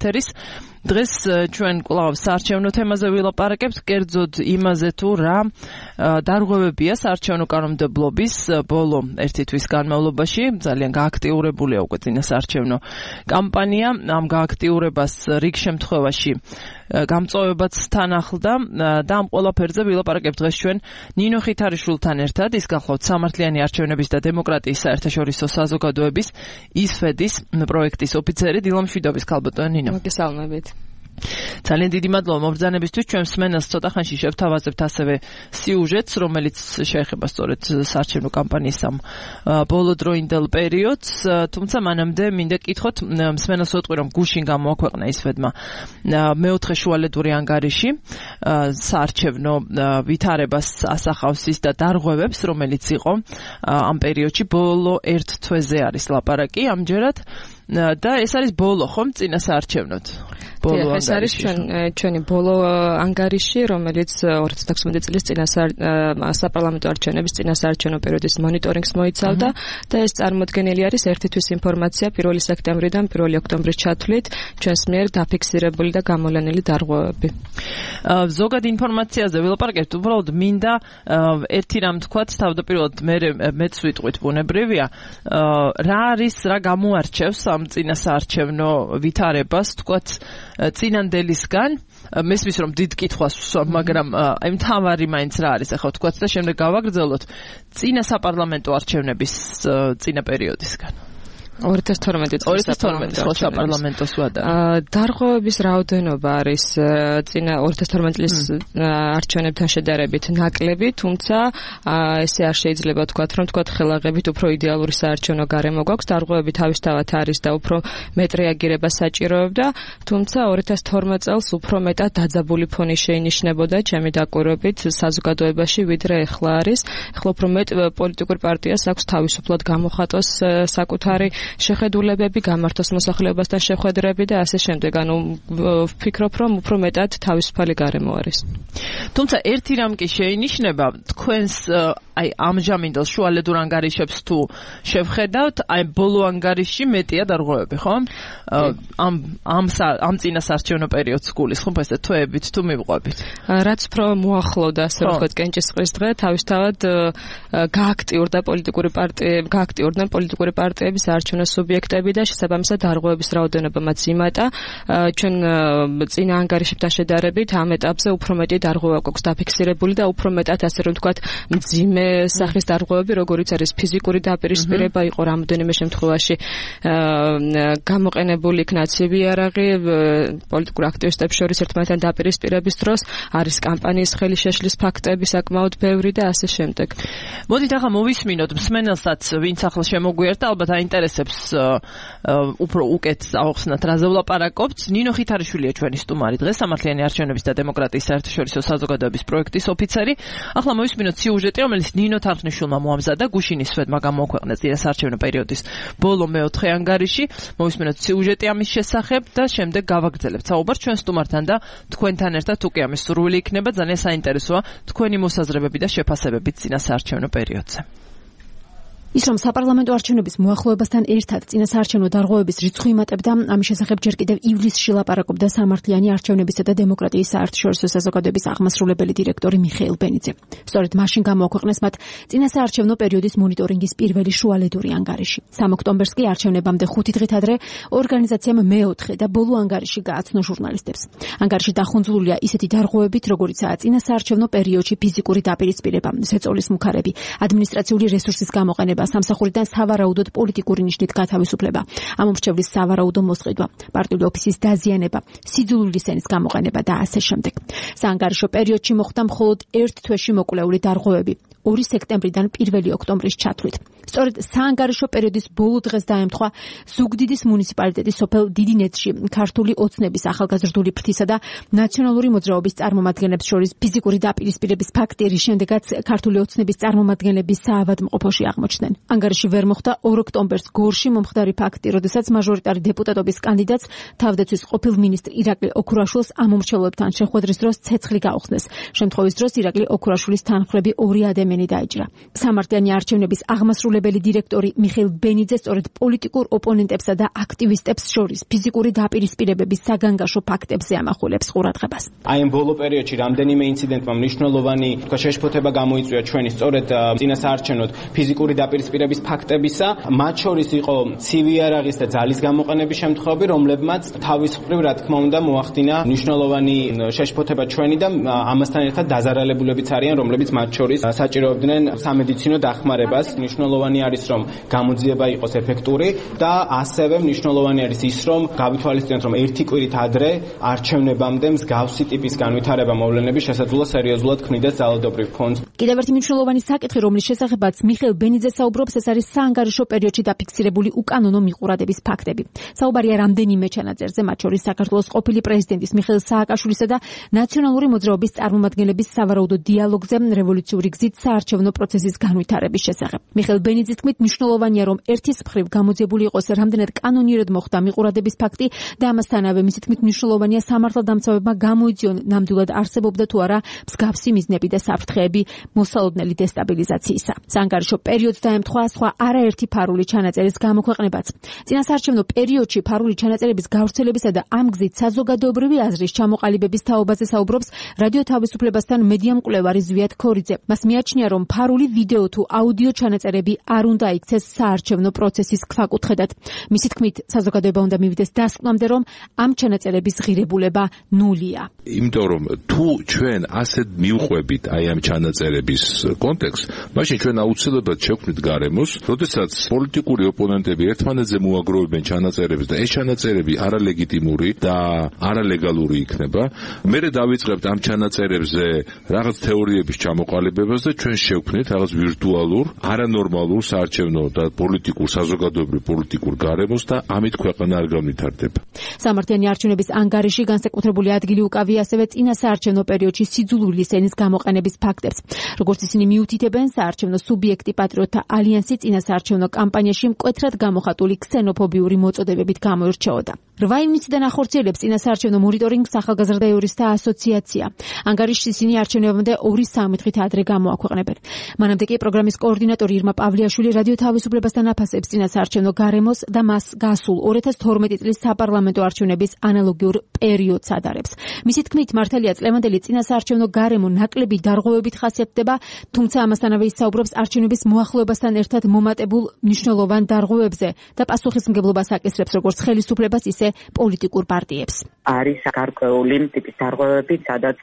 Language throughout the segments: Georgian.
ეთერის. დღეს ჩვენ კვლავ საარჩევნო თემაზე ვილაპარაკებთ, კერძოდ იმაზე თუ რა დარღვევებია საარჩევნო კანონმდებლობის ბოლო ერთი თვის განმავლობაში. ძალიან გააქტიურებულია უკვე წინა საარჩევნო კამპანია. ამ გააქტიურებას რიგ შემთხვევაში გამწვავებაც თან ახლდა და ამ ყველაფერზე ვილაპარაკებთ დღეს ჩვენ ნინო ხითარიშვილთან ერთად. ის გახლავთ სამართლიანი არჩევნების და დემოკრატიის საერთაშორისო საზოგადოების ისფედის პროექტის ოფიცერი. დილამშვიდობის ქალბატონო ნინო. მოგესალმებით. ძალიან დიდი მადლობა მობრძანებისთვის. ჩვენ მსმენელს ცოტა ხანში შევთავაზებთ ასევე სიუჟეტს, რომელიც შეეხება სწორედ საარჩევნო კამპანიის ამ ბოლოდროინდელ პერიოდს. თუმცა მანამდე მინდა კითხოთ მსმენელს ვეტყვი, რომ გუშინ გამოაქვეყნა ისფედმა მეოთხე შუალედური ანგარიში საარჩევნო ვითარებას ასახავს ის და დარღვევებს, რომელიც იყო ამ პერიოდში ბოლო ერთ თვეზე არის ლაპარაკი ამჯერად. და ეს არის ბოლო ხომ წინა საარჩევნოდ? ეს არის ჩვენი ბოლო ანგარიში, რომელიც 2016 წლის წინა საპარლამენტო არჩევნების წინა საარჩევნო პერიოდის მონიტორინგს მოიცავდა და ეს წარმოდგენილი არის ერთი თვის ინფორმაცია 1 სექტემბრიდან 1 ოქტომბრის ჩათვლით ჩვენს მიერ დაფიქსირებული და გამოვლენილი დარღვევები. ზოგად ინფორმაციაზე ვილაპარაკებთ, უბრალოდ მინდა ერთი რამ თქვათ, თავდაპირველად მეც ვიტყვით ბუნებრივია, რა არის, რა გამოარჩევს ამ წინა საარჩევნო ვითარებას, თქვათ წინანდელისგან. მესმის რომ დიდ კითხვას ვსვამ, მაგრამ აი მთავარი მაინც რა არის ახლა თქვათ და შემდეგ გავაგრძელოთ წინა საპარლამენტო არჩევნების წინა პერიოდისგან. 2012 წლის საპარლამენტოს ვადა. დარღვევების რაოდენობა არის წინა 2012 წლის არჩევნებთან შედარებით ნაკლები, თუმცა ესე არ შეიძლება თქვათ, რომ თქვათ ხელაღებით უფრო იდეალური საარჩევნო გარემო გვაქვს. დარღვევები თავისთავად არის და უფრო მეტ რეაგირებას საჭიროებდა, თუმცა 2012 წელს უფრო მეტად დაძაბული ფონი შეინიშნებოდა ჩემი დაკვირვებით საზოგადოებაში, ვიდრე ეხლა არის. ეხლა უფრო მეტ პოლიტიკურ პარტიას აქვს თავისუფლად გამოხატოს საკუთარი შეხედულებები, გამართოს მოსახლეობასთან შეხვედრები და ასე შემდეგ. ანუ ვფიქრობ, რომ უფრო მეტად თავისუფალი გარემო არის. თუმცა ერთი რამ კი შეინიშნება, თქვენს აი ამჟამინდელ შუალედურ ანგარიშებს თუ შევხედავთ, აი ბოლო ანგარიში მეტია დარღვევები, ხო? ამ წინა საარჩევნო პერიოდს გულის, ხო, ესე თვეებით თუ მივყვებით. რაც უფრო მოახლოვდა, ასე ვთქვათ, კენჭისყრის დღე, თავისთავად გააქტიურდნენ პოლიტიკური პარტიების საარჩევნო სუბიექტები და შესაბამისად დარღვევების რაოდენობამაც იმატა. ჩვენ წინა ანგარიშებთან შედარებით ამ ეტაპზე უფრო მეტი დარღვევა გვაქვს დაფიქსირებული და უფრო მეტად, ასე რომ ვთქვათ, მძიმე სახის დარღვევები, როგორიც არის ფიზიკური დაპირისპირება, იყო რამოდენიმე შემთხვევაში გამოყენებული იქნაცივი იარაღი პოლიტიკურ აქტივისტებს შორის ერთმანეთთან დაპირისპირების დროს, არის კამპანიის ხელი შეშლის ფაქტები საკმაოდ ბევრი და ასე შემდეგ. მოდით ახლა მოვისმინოთ მსმენელსაც, ვინც ახლა შემოგვიერთდა, ალბათ აინტერესებს უფრო უკეთ ავხსნათ, რაზე ვლაპარაკობთ. ნინო ხითარიშვილია ჩვენი სტუმარი დღეს, სამართლიანი არჩევნების და დემოკრატიის საერთაშორისო საზოგადოების პროექტის ოფიცერი. ახლა მოვისმინოთ სიუჟეტი, რომელიც ნინო თარხნიშვილმა მოამზადა, გუშინ ისფედმა გამოაქვეყნა წინა საარჩევნო პერიოდის ბოლო მეოთხე ანგარიში. მოვისმინოთ სიუჟეტი ამის შესახებ და შემდეგ გავაგრძელებთ საუბარს ჩვენ სტუმართან და თქვენთან ერთად უკვე ამის სურვილი იქნება. ძალიან საინტერესოა თქვენი მოსაზრებები და შეფასებები წინა საარჩევნო პერიოდზე. ის რომ საპარლამენტო არჩევნების მოახლოებასთან ერთად წინა საარჩევნო დარღვევების რიცხვი იმატებდა, ამის შესახებ ჯერ კიდევ ივლისში ლაპარაკობდა სამართლიანი არჩევნებისა და დემოკრატიის საერთაშორისო საზოგადოების აღმასრულებელი დირექტორი მიხეილ ბენიძე. სწორედ მაშინ გამოაქვეყნეს მათ წინა საარჩევნო პერიოდის მონიტორინგის პირველი შუალედური ანგარიში. 3 ოქტომბერს კი არჩევნებამდე 5 დღით ადრე ორგანიზაციამ მეოთხე და ბოლო ანგარიში გააცნო ჟურნალისტებს. ანგარიში დახუნძლულია ისეთი დარღვევებით, როგორიცაა წინა საარჩევნო პერიოდში ფიზიკური დაპირისპირება, ზეწოლის მუქარები, ადმინისტრაციული რესურსის გამოყენება, სამსახურიდან სავარაუდოდ პოლიტიკური ნიშნით გათავისუფლება, ამომრჩევლის სავარაუდო მოსყიდვა, პარტიული ოფისის დაზიანება, სიძულული სენის გამოყენება და ასე შემდეგ. საანგარიშო პერიოდში მოხდა მხოლოდ ერთ თვეში მოკვლეული დარღვევები, 2 სექტემბრიდან 1 ოქტომბრის ჩათვლით. სწორედ საანგარიშო პერიოდის ბოლო დღეს დაემთხვა ზუგდიდის მუნიციპალიტეტის სოფელ დიდინეთში ქართული ოცნების ახალგაზრდული ფრთისა და ნაციონალური მოძრაობის წარმომადგენლებს შორის ფიზიკური დაპირისპირების ფაქტი, რის შემდეგაც ქართული ოცნების წარმომადგენლები საავადმყოფოში აღმოჩნდნენ. ანგარიში ვერ მოხდა 2 ოქტომბერს გორში მომხდარი ფაქტი, როდესაც მაჟორიტარი დეპუტატობის კანდიდატს თავდაცვის ყოფილ მინისტრ ირაკლი ოქურაშვილს ამომრჩევლობთან შეხვედრის დროს ცეცხლი გაუხსნეს. შემთხვევის დროს ირაკლი ოქურაშვილის თანმხლები 2 ადამიანი ადამიანი დაიჭრა. სამართლიანი არჩევნების აღმასრულებელი დირექტორი მიხეილ ბენიძე სწორედ პოლიტიკურ ოპონენტებსა და აქტივისტებს შორის ფიზიკური დაპირისპირებების საგანგაშო ფაქტებზე ამახვილებს ყურადღებას. აი ამ ბოლო პერიოდში რამდენიმე ინციდენტმა მნიშვნელოვანი შეშფოთება გამოიწვია ჩვენი სწორედ წინასაარჩევნოდ ფიზიკური დაპირისპირების ფაქტებისა, მათ შორის იყო ცივი იარაღის და ძალის გამოყენების შემთხვევები, რომლებმაც თავისუფლად რა თქმა უნდა მოახდინა მნიშვნელოვანი შეშფოთება ჩვენი და ამასთან ერთად დაზარალებულებიც არიან, რომლებიც მათ შორის საჭიროებდნენ სამედიცინო დახმარებას. მნიშვნელოვანი არის, რომ გამოძიება იყოს ეფექტური და ასევე მნიშვნელოვანი არის ის, რომ გავითვალისწინოთ, რომ ერთი კვირით ადრე არჩევნებამდე მსგავსი ტიპის განვითარება მოვლენების შესაძლოა სერიოზულად ქმნიდეს ძალადობრივ ფონს. კიდევ ერთი მნიშვნელოვანი საკითხი, რომლის შესახებაც მიხეილ ბენიძე საუბრობს, ეს არის საანგარიშო პერიოდში დაფიქსირებული უკანონო მიყურადების ფაქტები. საუბარია რამდენიმე ჩანაწერზე, მათ შორის საქართველოს ყოფილი პრეზიდენტის მიხეილ სააკაშვილისა და ნაციონალური მოძრაობის წარმომადგენლების სავარაუდო დიალოგზე რევოლუციური გზით საარჩევნო პროცესის განვითარების შესახებ. მიხეილ ბენიძის თქმით, მნიშვნელოვანია, რომ ერთის მხრივ გამოძიებული იყოს რამდენად კანონიერად მოხდა მიყურადების ფაქტი და ამასთანავე მისი თქმით მნიშვნელოვანია სამართალდამცავებმა გამოიძიონ ნამდვილად არსებობდა თუ არა მსგავსი მიზნები და საფრთხეები მოსალოდნელი დესტაბილიზაციისა. საანგარიშო პერიოდს დაემთხვა სხვა არაერთი ფარული ჩანაწერის გამოქვეყნებაც. წინასაარჩევნო პერიოდში ფარული ჩანაწერების გავრცელებისა და ამ გზით საზოგადოებრივი აზრის ჩამოყალიბების თაობაზე საუბრობს რადიო თავისუფლებასთან მედია მკვლევარი ზვიად ქორიძე. მას მიაჩნია, რომ ფარული ვიდეო თუ აუდიო ჩანაწერები არ უნდა იქცეს საარჩევნო პროცესის ქვაკუთხედად. მისი თქმით, საზოგადოება უნდა მივიდეს დასკვნამდე, რომ ამ ჩანაწერების ღირებულება ნულია. იმიტომ რომ თუ ჩვენ ასეთ მივყვებით აი ამ ჩანაწერების კონტექსტს, მაშინ ჩვენ აუცილებლად შევქმნით გარემოს, როდესაც პოლიტიკური ოპონენტები ერთმანეთზე მოაგროვებენ ჩანაწერებს და ეს ჩანაწერები არალეგიტიმური და არალეგალური იქნება, მერე დავიწყებთ ამ ჩანაწერებზე რაღაც თეორიების ჩამოყალიბებას და ჩვენ შევქმნით რაღაც ვირტუალურ, არანორმალურ საარჩევნო და პოლიტიკურ, საზოგადოებრივ პოლიტიკურ გარემოს და ამით ქვეყანა არ განვითარდება. სამართლიანი არჩევნების ანგარიში განსაკუთრებული ადგილი უკავია ასევე წინასაარჩევნო პერიოდში სიძულვილის ენის გამოყენების ფაქტებს. როგორც ისინი მიუთითებენ, საარჩევნო სუბიექტი პატრიოტთა ალიანსი წინასაარჩევნო კამპანიაში მკვეთრად გამოხატული ქსენოფობიური მოწოდებებით გამოირჩეოდა. 8 ივნისიდან ახორციელებს წინასაარჩევნო მონიტორინგს ახალგაზრდა იურისტთა ასოციაცია. ანგარიშს ისინი არჩევნებამდე 2-3 დღით ადრე გამოაქვეყნებენ. მანამდე კი პროგრამის კოორდინატორი ირმა პავლიაშვილი რადიო თავისუფლებასთან აფასებს წინასაარჩევნო გარემოს და მას გასულ 2012 წლის საპარლამენტო არჩევნების ანალოგიურ პერიოდს ადარებს. მისი თქმით, მართალია წლევანდელი წინასაარჩევნო გარემო ნაკლები დარღვევებით ხასიათდება, თუმცა ამასთანავე ის საუბრობს არჩევნების მოახლოებასთან ერთად მომატებულ მნიშვნელოვან დარღვევებზე და პასუხისმგებლობას აკისრებს როგორც ხელისუფლებას, ისე პოლიტიკურ პარტიებს. არის გარკვეული ტიპის დარღვევები, სადაც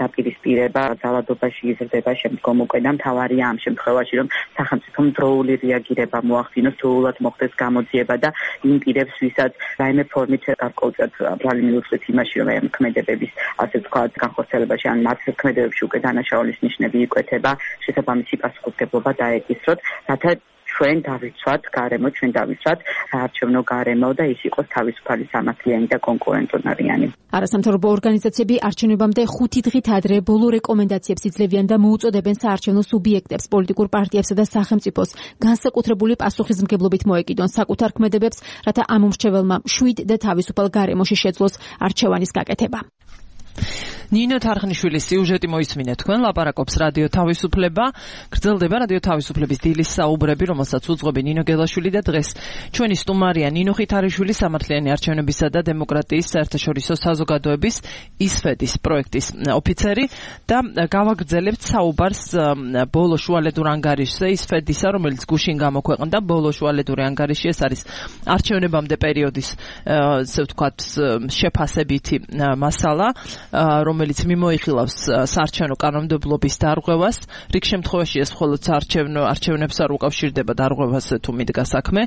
დაპირისპირება ძალადობაში იზრდება შემდგომ უკვე და მთავარია ამ შემთხვევაში, რომ სახელმწიფომ დროული რეაგირება მოახდინოს, დროულად მოხდეს გამოძიება და იმ პირებს, ვისაც რაიმე ფორმით გარკვეულწილად ბრალი მიუწვით იმაში, რომ ამ ქმედებების, ასე ვთქვათ, განხორციელებაში ან მათ ქმედებებში უკვე დანაშაულის ნიშნები იკვეთება, შესაბამისი პასუხისმგებლობა დაეკისროთ, რათა ჩვენ დავიცვათ გარემო, ჩვენ დავიცვათ საარჩევნო გარემო და ის იყოს თავისუფალი, სამართლიანი და კონკურენტუნარიანი. არასამთავრობო ორგანიზაციები არჩევნებამდე 5 დღით ადრე ბოლო რეკომენდაციებს იძლევიან და მოუწოდებენ საარჩევნო სუბიექტებს, პოლიტიკურ პარტიებსა და სახელმწიფოს განსაკუთრებული პასუხისმგებლობით მოეკიდონ საკუთარ ქმედებებს, რათა ამ უმრჩეველმა მშვიდ და თავისუფალ გარემოში შეძლოს არჩევანის გაკეთება. ნინო თარხნიშვილის სიუჟეტი მოისმინეთ თქვენ, ლაპარაკობს რადიო თავისუფლება, გრძელდება რადიო თავისუფლების დილის საუბრები, რომელსაც უძღვები ნინო გელაშვილი და დღეს ჩვენი სტუმარია ნინო ხითარიშვილი, სამართლიანი არჩევნებისა და დემოკრატიის საერთაშორისო საზოგადოების ისფედის პროექტის ოფიცერი და გავაგრძელებთ საუბარს ბოლო შუალედურ ანგარიშზე ისფედისა, რომელიც გუშინ გამოქვეყნდა. ბოლო შუალედური ანგარიში ეს არის არჩევნებამდე პერიოდის, ასე ვთქვათ, შეფასებითი მასალა, რომელიც მიმოიხილავს საარჩევნო კანონმდებლობის დარღვევას. რიგ შემთხვევაში ეს მხოლოდ არჩევნებს არ უკავშირდება დარღვევაზე თუ მიდგა საქმე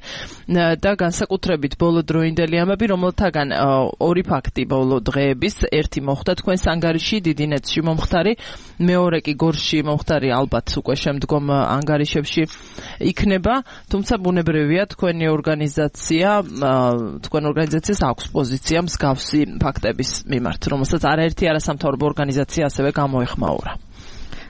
და განსაკუთრებით ბოლოდროინდელი ამბები, რომელთაგან ორი ფაქტი ბოლო დღეების, ერთი მოხდა თქვენს ანგარიში დიდი ნეტში მომხდარი, მეორე კი გორში მომხდარი, ალბათ უკვე შემდგომ ანგარიშებში იქნება, თუმცა ბუნებრივია თქვენ ორგანიზაციას აქვს პოზიცია მსგავსი ფაქტების მიმართ, რომელსაც არაერთი არასამთავრობო ორგანიზაცია ასევე გამოეხმაურა.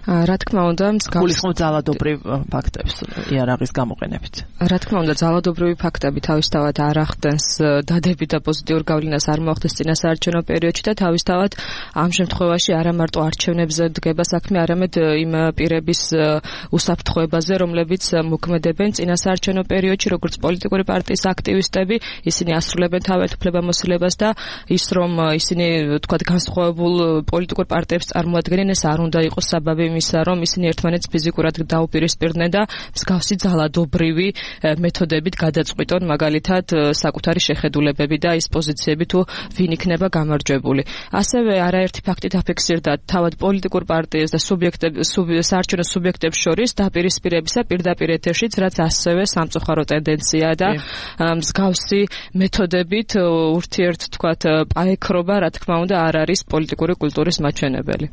რა თქმა უნდა, გულისხმობ ძალადობრივ ფაქტებს იარაღის გამოყენებით. რა თქმა უნდა, ძალადობრივი ფაქტები თავისთავად არ ახდენს დადებით და პოზიტიურ გავლენას არ მოახდენს წინასაარჩევნო პერიოდში და თავისთავად ამ შემთხვევაში არა მარტო არჩევნებზე დგება საქმე, არამედ იმ პირების უსაფრთხოებაზე, რომლებიც მოქმედებენ წინასაარჩევნო პერიოდში, როგორც პოლიტიკური პარტიის აქტივისტები, ისინი ასრულებენ თავად უფლებამოსილებას და ის რომ ისინი თქვათ განსხვავებულ პოლიტიკურ პარტიებს წარმოადგენენ, ეს არ უნდა იყოს საბაბი იმისა, რომ ისინი ერთმანეთს ფიზიკურად დაუპირისპირდნენ და მსგავსი ძალადობრივი მეთოდებით გადაწყვიტონ მაგალითად საკუთარი შეხედულებები და ის პოზიციები თუ ვინ იქნება გამარჯვებული. ასევე არაერთი ფაქტი დაფიქსირდა თავად პოლიტიკურ პარტიებს და საარჩევნო სუბიექტებს შორის დაპირისპირებისა პირდაპირ ეთერშიც, რაც ასევე სამწუხარო ტენდენციაა და მსგავსი მეთოდებით ურთიერთ თქვათ პაექრობა, რა თქმა უნდა, არ არის პოლიტიკური კულტურის მაჩვენებელი.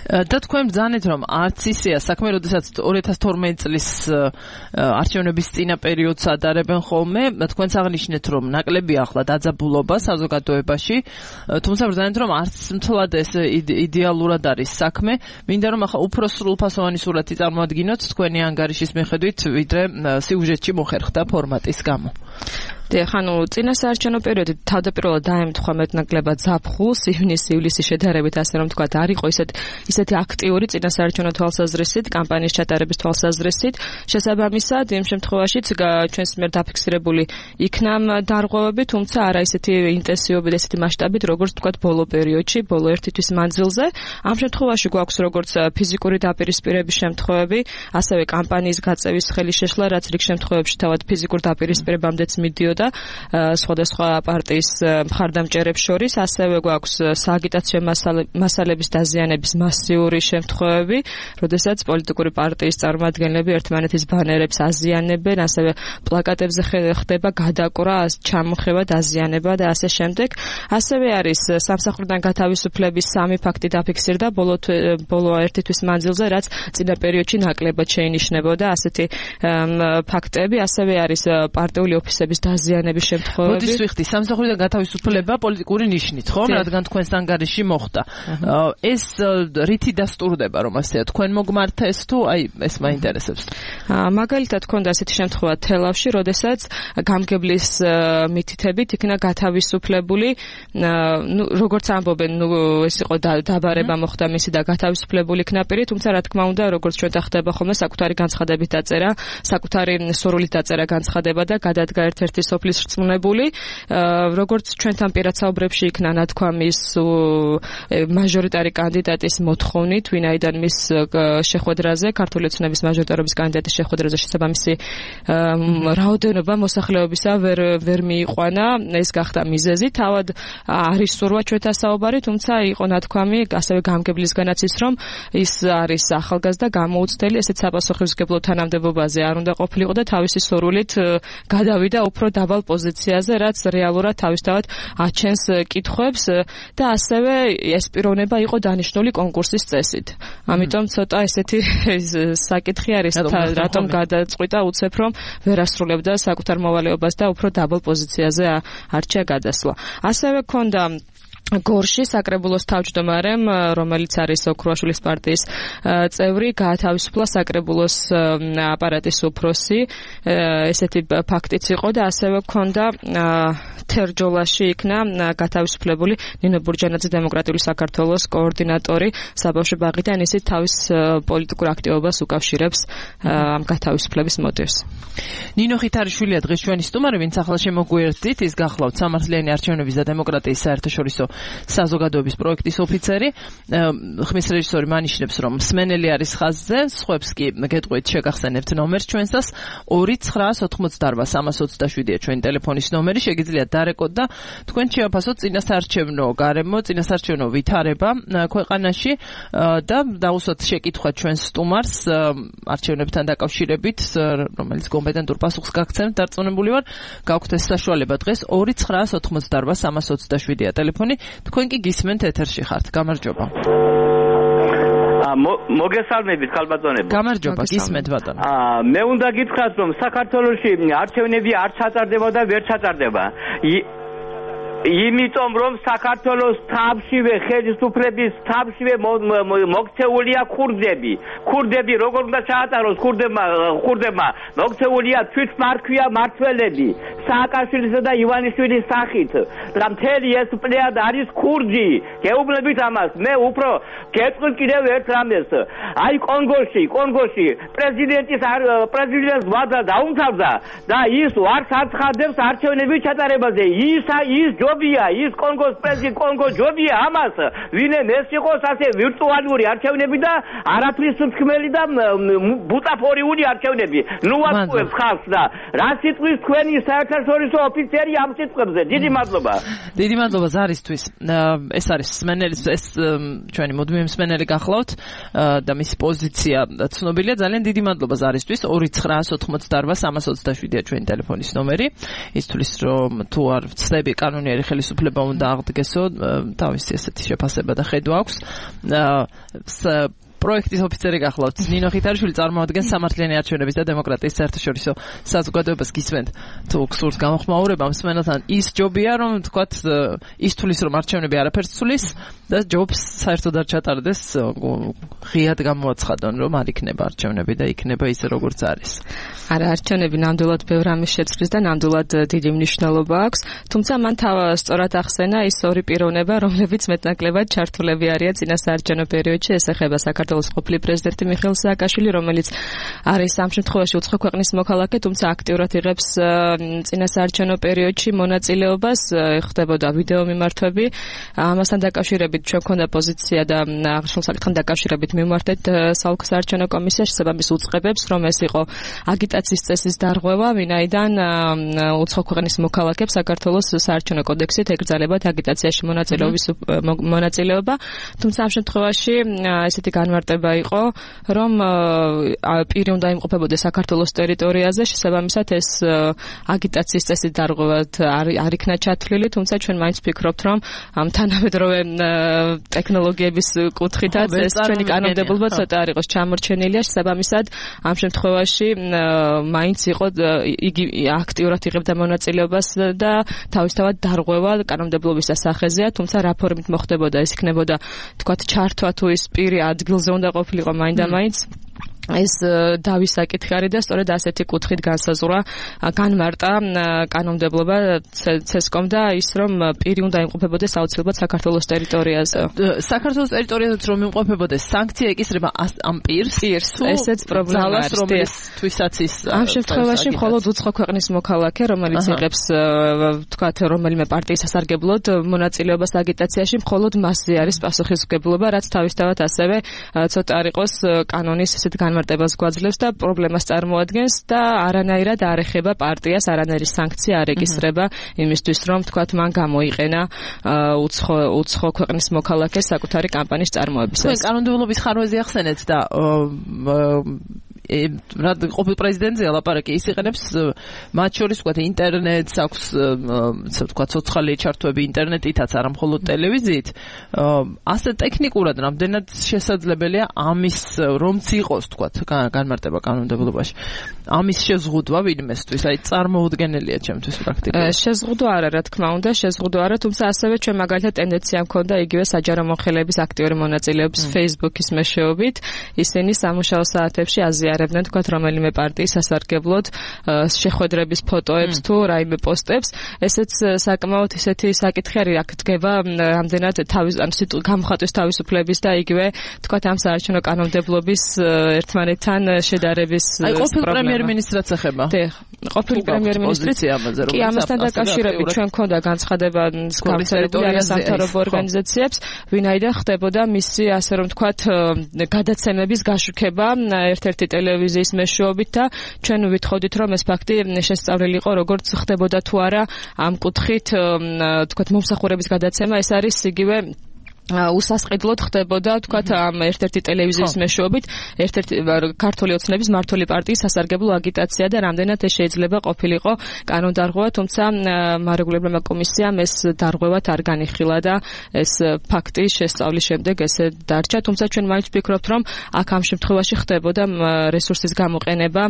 და თქვენ ბრძანეთ რომ არც ისეა საქმე, როდესაც 2012 წლის არჩევნების წინა პერიოდს ადარებენ ხოლმე, თქვენც აღნიშნეთ რომ ნაკლები ახლა დაძაბულობა საზოგადოებაში, თუმცა ბრძანეთ რომ არც მთლად ეს იდეალურად არის საქმე, მინდა რომ ახლა უფრო სრულფასოვანი სურათი წარმოადგინოთ თქვენი ანგარიშის მიხედვით, ვიდრე სიუჟეტში მოხერხდა ფორმატის გამო. ხანუ წინასაარჩევნო პერიოდი თავდაპირველად დაემთხვა მეტნაკლებად ზაფხულს, ივნისის-ივლისის შედარებით, ასე რომ თქვა, არ იყო ისეთი აქტიური წინასაარჩევნო თვალსაზრისით, კამპანიის ჩატარების თვალსაზრისით. შესაბამისად, იმ შემთხვევაშიც ჩვენს მიერ დაფიქსირებული იქნა დარღვევები, თუმცა არა ისეთი ინტენსივობით, ესეთი მასშტაბით, როგორც თქვა ბოლო პერიოდში, ბოლო ერთი თვის მანძილზე. ამ შემთხვევაში გვაქვს როგორც ფიზიკური დაპირისპირების შემთხვევები, ასევე კამპანიის გაწევის ხელი შეშლა, რაც რიგ შემთხვევებში თავად ფიზიკურ დაპირისპირებამდეც მიდიოდა სხვადასხვა პარტიის მხარდამჭერებს შორის, ასევე გვაქვს სააგიტაციო მასალების დაზიანების მასიური შემთხვევები, როდესაც პოლიტიკური პარტიის წარმომადგენლები ერთმანეთის ბანერებს აზიანებენ, ასევე პლაკატებზე ხდება გადაკვრა, ჩამოხევა, დაზიანება და ასე შემდეგ. ასევე არის სამსახურიდან გათავისუფლების 3 ფაქტი დაფიქსირდა ბოლო ერთი თვის მანძილზე, რაც წინა პერიოდში ნაკლებად შეინიშნებოდა ასეთი ფაქტები. ასევე არის პარტიული ოფისების დაზიანების შემთხვევები. მოდის ვიხდი, სამსახურიდან გათავისუფლება პოლიტიკური ნიშნით, ხო? რადგან თქვენს ანგარიში მოხდა. ეს რითი დასტურდება, რომ ასეა, თქვენ მოგმართა ეს თუ აი ეს მაინტერესებს. მაგალითად ქონდა ასეთი შემთხვევა თელავში, როდესაც გამგებლის მითითებით იქნა გათავისუფლებული, როგორც ამბობენ, ეს იყო დაბარება მოხდა მისი და გათავისუფლებული იქნა პირი, თუმცა რა თქმა უნდა, როგორც ჩვენთან ხდება ხოლმე, საკუთარი განცხადებით დაწერა, საკუთარი სურვილით დაწერა განცხადება და გადადგა ერთ-ერთი სოფლის რწმუნებული, როგორც ჩვენთან პირად საუბრებში იქნა ნათქვამის მაჟორიტარი კანდიდატის მოთხოვნით, ვინაიდან მის შეხვედრაზე, ქართული ოცნების მაჟორიტარობის კანდიდატის შეხვედრაზე შესაბამისი რაოდენობა მოსახლეობისა ვერ მიიყვანა, ეს გახდა მიზეზი. თავად არის სურვა ჩვენთან საუბარი, თუმცა იყო ნათქვამი ასევე გამგებლისგანაც ის, რომ ის არის ახალგაზრდა, გამოუცდელი, ესეც საპასუხისმგებლო თანამდებობაზე არ უნდა ყოფილიყო და თავისი სურვილით გადავიდა უფრო დაბალ პოზიციაზე, რაც რეალურად თავისთავად აჩენს კითხვებს და ასევე ეს პიროვნება იყო დანიშნული კონკურსის წესით. ამიტომ ცოტა ესეთი საკითხი არის, რატომ გადაწყვიტა უცებ რომ ვერ ასრულებდა საკუთარ მოვალეობას და უფრო დაბალ პოზიციაზე არჩია გადასვლა. ასევე ქონდა გორში საკრებულოს თავმჯდომარემ, რომელიც არის ოქროაშვილის პარტიის წევრი, გაათავისუფლა საკრებულოს აპარატის უფროსი. ესეთი ფაქტიც იყო და ასევე ქონდა თერჯოლაში იქნა გათავისუფლებული ნინო ბურჯანაძე დემოკრატიული საქართველოს კოორდინატორი საბავშვო ბაღიდან, ისიც თავის პოლიტიკურ აქტივობას უკავშირებს ამ გათავისუფლების მოტივს. ნინო ხითარიშვილია დღეს ჩვენი სტუმარი, ვინც ახლა შემოგვიერთდით, ის გახლავთ სამართლიანი არჩევნების და დემოკრატიის საერთაშორისო საზოგადოების პროექტის ოფიცერი. ხმის რეჟისორი მანიშნებს, რომ მსმენელი არის ხაზზე, სხვებს კი გეტყვით შეგახსენებთ ნომერს ჩვენსას 2988327-ია ჩვენი ტელეფონის ნომერი, შეგიძლიათ დარეკოთ და თქვენ შეაფასოთ წინასაარჩევნო გარემო, წინასაარჩევნო ვითარება ქვეყანაში და დაუსვათ შეკითხვა ჩვენს სტუმარს არჩევნებთან დაკავშირებით, რომელიც კომპეტენტურ პასუხს გაგცემთ, დარწმუნებული ვარ, გაქვთ ეს საშუალება დღეს 2988327-ია ტელეფონი. თქვენ კი გისმენთ ეთერში ხართ. გამარჯობა. მოგესალმებით ხალბატონებო. გამარჯობა, გისმენთ ბატონო. მე უნდა გითხრათ, რომ საქართველოში არჩევნები არ ჩატარდება და ვერ ჩატარდება. იმიტომ რომ საქართველოს თავშივე ხელისუფლების თავშივე მოქცეულია ქურდები როგორ უნდა ჩაატაროს ქურდებმა მოქცეულია თვითმარქვია მართველები სააკაშვილისა და ივანიშვილის სახით და მთელი ეს პლეადა არის ქურდი გეუბნებით ამას მე უფრო გეტყვი კიდევ ერთ რამეს აი კონგოში პრეზიდენტს ვადა დაუმთავრდა და ის არ საცხადებს არჩევნების ჩატარებაზე ის ჯობია ის კონგოს ჯობია ამას ვინმე ეს იყოს ასე ვირტუალური არჩევნები და არაფრის მსქმელი და ბუტაფორიული არჩევნები ნუ აკუებს ხალხს და რა სიტყვის თქვენი საერთაშორისო ოფიცერი ამ სიტყვებზე დიდი მადლობა ზარისთვის ეს არის სმენელის ეს ჩვენი მუდმივი მსმენელი გახლავთ და მისი პოზიცია ცნობილია ძალიან დიდი მადლობა ზარისთვის 2988-327-ია ჩვენი ტელეფონის ნომერი ის თulis რომ თუ არ ვცდები კანონიერი ხელისუფლება უნდა აღდგესო თავისი ესეთი შეფასება და ხედვა აქვს პროექტის ოფიცერი გახლავთ ნინო ხითარიშვილი წარმოადგენს სამართლიანი არჩევნების და დემოკრატიის საერთაშორისო საზოგადოებას გისმენთ თუ გსურთ გამოხმაურება მსმენელთან ის ჯობია რომ თქვათ ის თulis რომ არჩევნები არაფერს თulis და ჯობს საერთოდ არ ჩატარდეს ღიად გამოაცხადონ რომ არ იქნება არჩევნები და იქნება ისე როგორც არის არა არჩევნები ნამდვილად ბევრ ამის შეცვლის და ნამდვილად დიდი მნიშვნელობა აქვს თუმცა მან სწორად ახსენა ის ორი პიროვნება რომლებიც მეტნაკლებად ჩართულები არიან წინასაარჩევნო პერიოდში ეს ეხება საქართველოს ყოფილი პრეზიდენტი მიხეილ სააკაშვილი რომელიც არის ამ შემთხვევაში უცხო ქვეყნის მოქალაქე თუმცა აქტიურად იღებს წინასაარჩევნო პერიოდში მონაწილეობას ხდებოდა ვიდეო მიმართვები ამასთან დაკავშირებით ჩვენ გვქონდა პოზიცია და აღნიშნულ საკითხთან დაკავშირებით მივმართეთ საოლქო საარჩევნო კომისიაში საბამის უწყებებს რომ ეს იყო აგიტაციის წესის დარღვევა ვინაიდან უცხო ქვეყნის მოქალაქეებს საქართველოს საარჩევნო კოდექსით ეკრძალებათ აგიტაციაში მონაწილეობა თუმცა ამ შემთხვევაში ესეთი განმარტება იყო რომ პირი უნდა იმყოფებოდეს საქართველოს ტერიტორიაზე შესაბამისად ეს აგიტაციის წესის დარღვევად არ იქნა ჩათვლილი თუმცა ჩვენ მაინც ვფიქრობთ რომ ამ თანამედროვე ტექნოლოგიების კუთხითაც ეს ჩვენი კანონმდებლობა ცოტა არ იყოს ჩამორჩენილია შესაბამისად ამ შემთხვევაში მაინც იყო იგი აქტიურად იღებდა მონაწილეობას და თავისთავად დარღვევა კანონმდებლობის სახეზეა თუმცა რა ფორმით მოხდებოდა ეს იქნებოდა თქვათ ჩართვა თუ ის პირი ადგილზე უნდა ყოფილიყო მაინდა-მაინც ეს დავის საკითხი არის და სწორედ ასეთი კუთხით განსაზღვრა განმარტა კანონმდებლობა ცესკომ და ის რომ პირი უნდა იმყოფებოდეს აუცილებლად საქართველოს ტერიტორიაზე. საქართველოს ტერიტორიაზე რომ იმყოფებოდეს სანქცია ეკისრება ამ პირს ესეც პრობლემა არის რომლისთვისაც ის ამ შემთხვევაში მხოლოდ უცხო ქვეყნის მოქალაქე რომელიც იღებს თქვათ რომელიმე პარტიის სასარგებლოდ მონაწილეობას აგიტაციაში მხოლოდ მასზე არის პასუხისმგებლობა რაც თავისთავად ასევე ცოტა არ იყოს კანონის ესეთ განმარტებას გვაძლევს და პრობლემას წარმოადგენს და არანაირად არ ეხება პარტიას, არანაირი სანქცია არ ეკისრება იმისთვის, რომ თქვათ მან გამოიყენა უცხო ქვეყნის მოქალაქეს საკუთარი კამპანიის წარმოებისას. თქვენ კანონმდებლობის ხარვეზე ახსენეთ და რა ყოფილ პრეზიდენტზე ლაპარაკი ის იყენებს მათ შორის ვთქვათ ინტერნეტს აქვს ვთქვათ სოციალური ჩართვები ინტერნეტითაც არა მხოლოდ ტელევიზიით ასე ტექნიკურად რამდენად შესაძლებელია ამის რომც იყოს ვთქვათ განმარტება კანონმდებლობაში ამის შეზღუდვა ვინმესთვის აი წარმოუდგენელია ჩემთვის პრაქტიკულად შეზღუდვა არა რა თქმა უნდა შეზღუდვა არა თუმცა ასევე ჩვენ მაგალითად ტენდენცია მქონდა იგივე საჯარო მომხრეების აქტიური მონაწილეობის Facebook-ის მეშვეობით ისინი სამუშაო საათებში აზიარებდნენ თქვათ რომელიმე პარტიის სასარგებლოდ შეხვედრების ფოტოებს თუ რაიმე პოსტებს ესეც საკმაოდ ისეთი საკითხი არის აქ დგება რამდენად გამოხატვის თავისუფლების და იგივე თქვათ ამ საარჩევნო კანონმდებლობის ერთმანეთთან შედარების პრემიერ-მინისტრად ეხება. ყოფილი პრემიერ-მინისტრიც კი ამასთან დაკავშირებით ჩვენ მქონდა განცხადება გამწერებული არასამთავრობო ორგანიზაციებს, ვინაიდან ხდებოდა მისი ასე რომ ვთქვათ გადაცემების გაშუქება ერთ-ერთი ტელევიზიის მეშვეობით და ჩვენ ვითხოვდით რომ ეს ფაქტი შესწავლილი იყო როგორც ხდებოდა თუ არა ამ კუთხით ვთქვათ მომსახურების გადაცემა ეს არის იგივე უსასყიდლოდ ხდებოდა თქვათ ამ ერთ-ერთი ტელევიზიის მეშვეობით ერთ-ერთი ქართული ოცნების მმართველი პარტიის სასარგებლო აგიტაცია და რამდენად ეს შეიძლება ყოფილიყო კანონდარღვევა, თუმცა მარეგულირებელმა კომისიამ ეს დარღვევად არ განიხილა და ეს ფაქტი შესწავლის შემდეგ ესე დარჩა, თუმცა ჩვენ მაინც ვფიქრობთ, რომ აქ ამ შემთხვევაში ხდებოდა რესურსის გამოყენება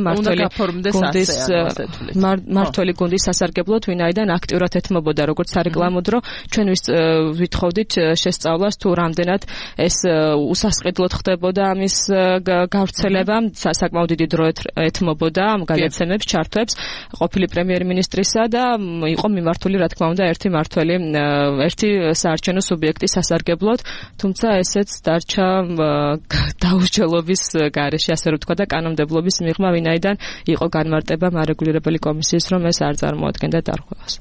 მმართველი გუნდის სასარგებლოდ, ვინაიდან აქტიურად ეთმობოდა როგორც სარეკლამო დრო, ჩვენ ვითხოვდით შესწავლას თუ რამდენად ეს უსასყიდლოდ ხდებოდა ამის გავრცელება, საკმაოდ დიდი დრო ეთმობოდა ამ გადაცემებს, ჩართვებს ყოფილი პრემიერ-მინისტრისა და იყო მიმართული რა თქმა უნდა ერთი საარჩევნო სუბიექტის სასარგებლოდ, თუმცა ესეც დარჩა დაუსჯელობის გარეშე, ასე რომ ვთქვა და კანონმდებლობის მიღმა, ვინაიდან იყო განმარტება მარეგულირებელი კომისიის, რომ ეს არ წარმოადგენდა დარღვევას.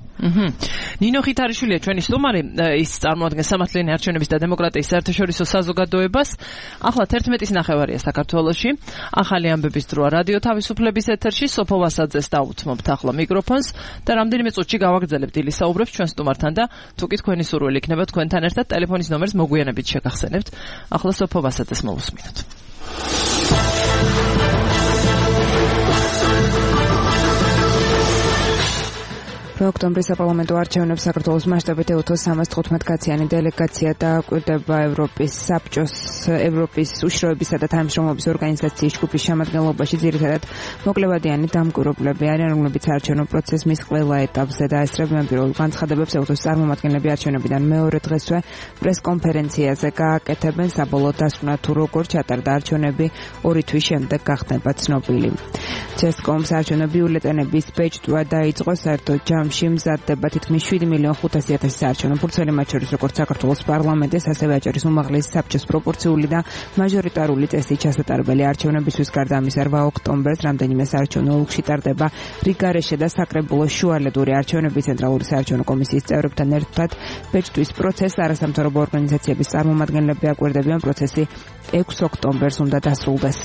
ნინო ხითარიშვილია ჩვენი სტუმარი, ის წარმოადგენს სამართლიანი არჩევნების და დემოკრატიის საერთაშორისო საზოგადოებას. ახლა 11:09 საქართველოში. ახალი ამბების დროა რადიო თავისუფლების ეთერში. სოფო ვასაძეს დაუთმობთ ახლა მიკროფონს და რამდენიმე წუთში გავაგრძელებთ ილი საუბრებს ჩვენ სტუმართან და თუკი თქვენი სურვილი იქნება თქვენთან ერთად ტელეფონის ნომერს მოგვიანებით შეგახსენებთ. ახლა სოფო ვასაძეს მოვუსმინოთ. ოქტომბრის საპარლამენტო არჩევნებს საქართველოს მასშტაბით ელოთოს 315 კაციანი დელეგაცია დააკვირდება ევროპის საბჭოს, ევროპის უშიშროებისა და თანამშრომლობის ორგანიზაციის ჯგუფის შემადგენლობაში, ძირითადად მოკლევადიანი დამკვირვებლები არიან, რომლებიც არჩევნო პროცესის ყველა ეტაპზე დაესწრებიან პირველ განცხადებებს ელოთოს წარმომადგენლები არჩევნებიდან მეორე დღესვე პრესკონფერენციაზე გააკეთებენ საბოლოო დასკვნა თუ როგორ ჩატარდა არჩევნები 2 თვის შემდეგ გახდება ცნობილი. ჩესკომს არჩევნო ბიულეტენების ბეჭდვა დაიწყო, საერთოდ ჯამში მზადდება თითქმის 7,500,000 საარჩევნო ფურცელი, მათ შორის როგორც საქართველოს პარლამენტის, ასევე აჭარის უმაღლესი საბჭოს პროპორციული და მაჟორიტარული წესით ჩასატარებელი არჩევნებისთვის. გარდა ამისა 8 ოქტომბერს რამდენიმე საარჩევნო ოლქში ტარდება რიგარეშე და საკრებულო შუალედური არჩევნები. ცენტრალური საარჩევნო კომისიის წევრებთან ერთად ბეჭდვის პროცესს არასამთავრობო ორგანიზაციების წარმომადგენლები აკვირდებიან. პროცესი 6 ოქტომბერს უნდა დასრულდეს.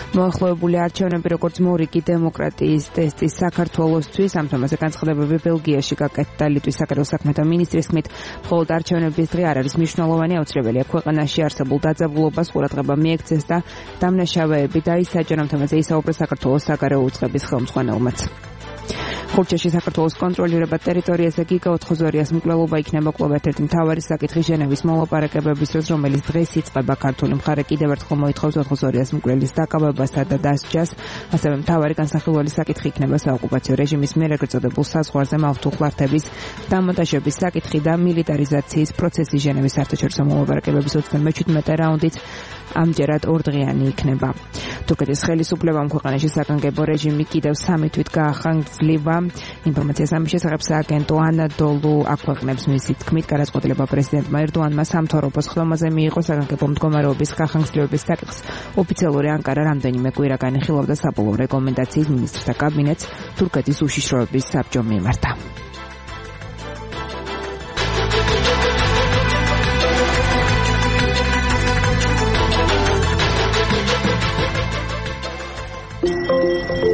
მოახლოებული არჩევნები როგორც მორიგი დემოკრატიის ტესტის საქართველოსთვის, ამ თემაზე განცხადებები ბელგიაში გაკეთდა ლიტვის საკერულ საქმეთა მინისტრის თქმით, მხოლოდ არჩევნების დღე არ არის მნიშვნელოვანი, აუცილებელია ქვეყანაში არსებულ დაძაბულობას ყურადღება მიექცეს და დამნაშავეები დაისაჯონ. ამ თემაზე ისაუბრა საქართველოს საგარეო უწყების ხელმძღვანელმაც. ხურჩაში საქართველოს კონტროლირება ტერიტორიაზე გიგა ოთხოზორიას მკვლელობა იქნება კვლავ ერთ-ერთი მთავარი საკითხი ჟენევის მოლაპარაკებების დროს, რომელიც დღეს იწყება. ქართული მხარე კიდევ ერთხელ მოითხოვს ოთხოზორიას მკვლელის დაკავებასთან და დასჯას. ასევე მთავარი განსახილველი საკითხი იქნება საოკუპაციო რეჟიმის მიერ ეგრეთ წოდებულ საზღვარზე მავთუხლართების დამონტაჟების საკითხი და მილიტარიზაციის პროცესი. ჟენევის საერთაშორისო მოლაპარაკებების 37 რაუნდიც ამჯერად ორდღიანი იქნება. თურქეთის ხელისუფლებამ ქვეყანაში საგანგებო რეჟიმი კიდევ 3 თვით გაახანგრძლива. ინფორმაციას ამის შესახებ სააგენტო ანადოლუ აქვეყნებს. მისი თქმით, გადაწყვეტილება პრეზიდენტმა ერდოანმა სამთავრობოს ხდომაზე მიიღო საგანგებო მდგომარეობის გახანგრძლივების საკითხს. ოფიციალური ანკარა რამდენიმე კვირა განიხილავდა საბოლოო რეკომენდაციის მინისტრთა კაბინეტს თურქეთის უშიშროების საბჭომ მიმართა.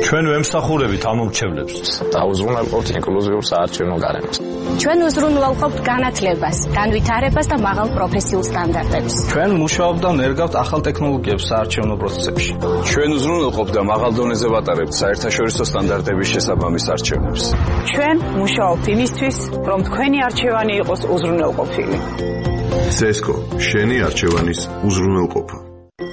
ჩვენ ვემსახურებით ამ მომრჩევლებს და უზრუნველყოფთ ინკლუზიურ საარჩევნო გარემოს. ჩვენ უზრუნველყოფთ განათლებას, განვითარებას და მაღალ პროფესიულ სტანდარტებს. ჩვენ მუშაობთ და ნერგავთ ახალ ტექნოლოგიებს საარჩევნო პროცესებში. ჩვენ უზრუნველყოფთ და მაღალ დონეზე ვატარებთ საერთაშორისო სტანდარტების შესაბამის არჩევნებს. ჩვენ მუშაობთ იმისთვის, რომ თქვენი არჩევანი იყოს უზრუნველყოფილი. CESCO, შენი არჩევანის უზრუნველყოფა.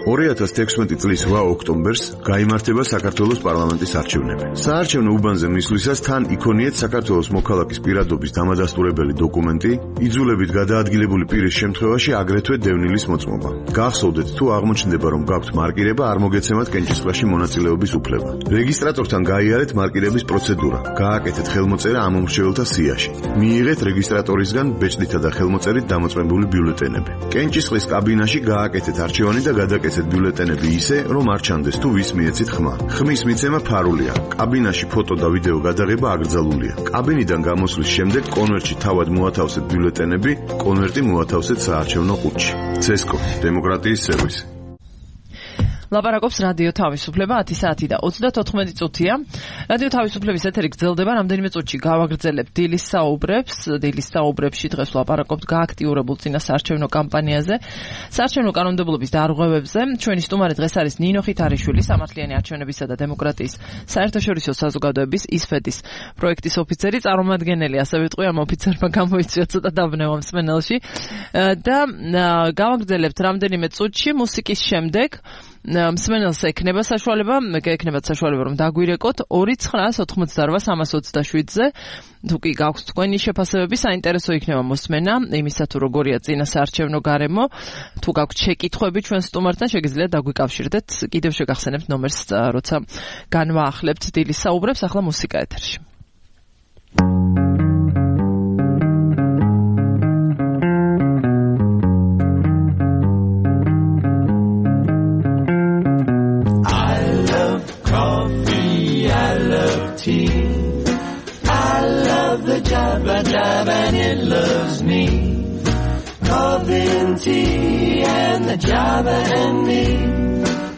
2016 წლის 8 ოქტომბერს გაიმართება საქართველოს პარლამენტის არჩევნები. საარჩევნო უბანზე მისვლისას თან იქონიეთ საქართველოს მოქალაქის პირადობის დამადასტურებელი დოკუმენტი, იძულებით გადაადგილებული პირის შემთხვევაში აგრეთვე დევნილის მოწმობა. გახსოვდეთ, თუ აღმოჩნდება, რომ გაქვთ მარკირება, არ მოგეცემათ კენჭისყრაში მონაწილეობის უფლება. რეგისტრატორთან გაიარეთ მარკირების პროცედურა. გააკეთეთ ხელმოწერა ამ მომრჩეველთა სიაში. მიიღეთ რეგისტრატორისგან ბეჭდითა და ხელმოწერით დამოწმებული ბიულეტენები. კენჭისყრის კაბინაში გააკეთეთ არჩევანი და გადაკეთეთ ბიულეტენები ისე, რომ არ ჩანდეს თუ ვის მიეცით ხმა. ხმის მიცემა ფარულია. კაბინაში ფოტო და ვიდეო გადაღება აკრძალულია. კაბინიდან გამოსვლის შემდეგ კონვერტში თავად მოათავსეთ ბიულეტენები, კონვერტი მოათავსეთ საარჩევნო ყუთში. CESCO, დემოკრატიის სერვისი. ლაპარაკობს რადიო თავისუფლება 10 საათი და 34 წუთია. რადიო თავისუფლების ეთერი გრძელდება, რამდენიმე წუთში გავაგრძელებთ დილის საუბრებში დღეს ვლაპარაკობთ გააქტიურებულ წინასაარჩევნო კამპანიაზე, საარჩევნო კანონმდებლობის დარღვევებზე. ჩვენი სტუმარი დღეს არის ნინო ხითარიშვილი, სამართლიანი არჩევნებისა და დემოკრატიის საერთაშორისო საზოგადოების ისფედის პროექტის ოფიცერი, წარმომადგენელი, ასევე ვიტყვი ამ ოფიცერმა გამოიწვია ცოტა დაბნევა მსმენელში და გავაგრძელებთ რამდენიმე წუთში მუსიკის შემდეგ მსმენელს ექნება საშუალება რომ დაგვირეკოთ 2988327-ზე. თუ კი გაქვთ თქვენი შეფასებები, საინტერესო იქნება მოსმენა იმისა თუ როგორია წინასაარჩევნო გარემო. თუ გაქვთ შეკითხვები ჩვენ სტუმართან, შეგიძლიათ დაგვიკავშირდეთ. კიდევ შეგახსენებთ ნომერს, როცა განვაახლებთ დილის საუბრებს. ახლა მუსიკა ეთერში. And it loves me. Coffee and tea and the Java and me.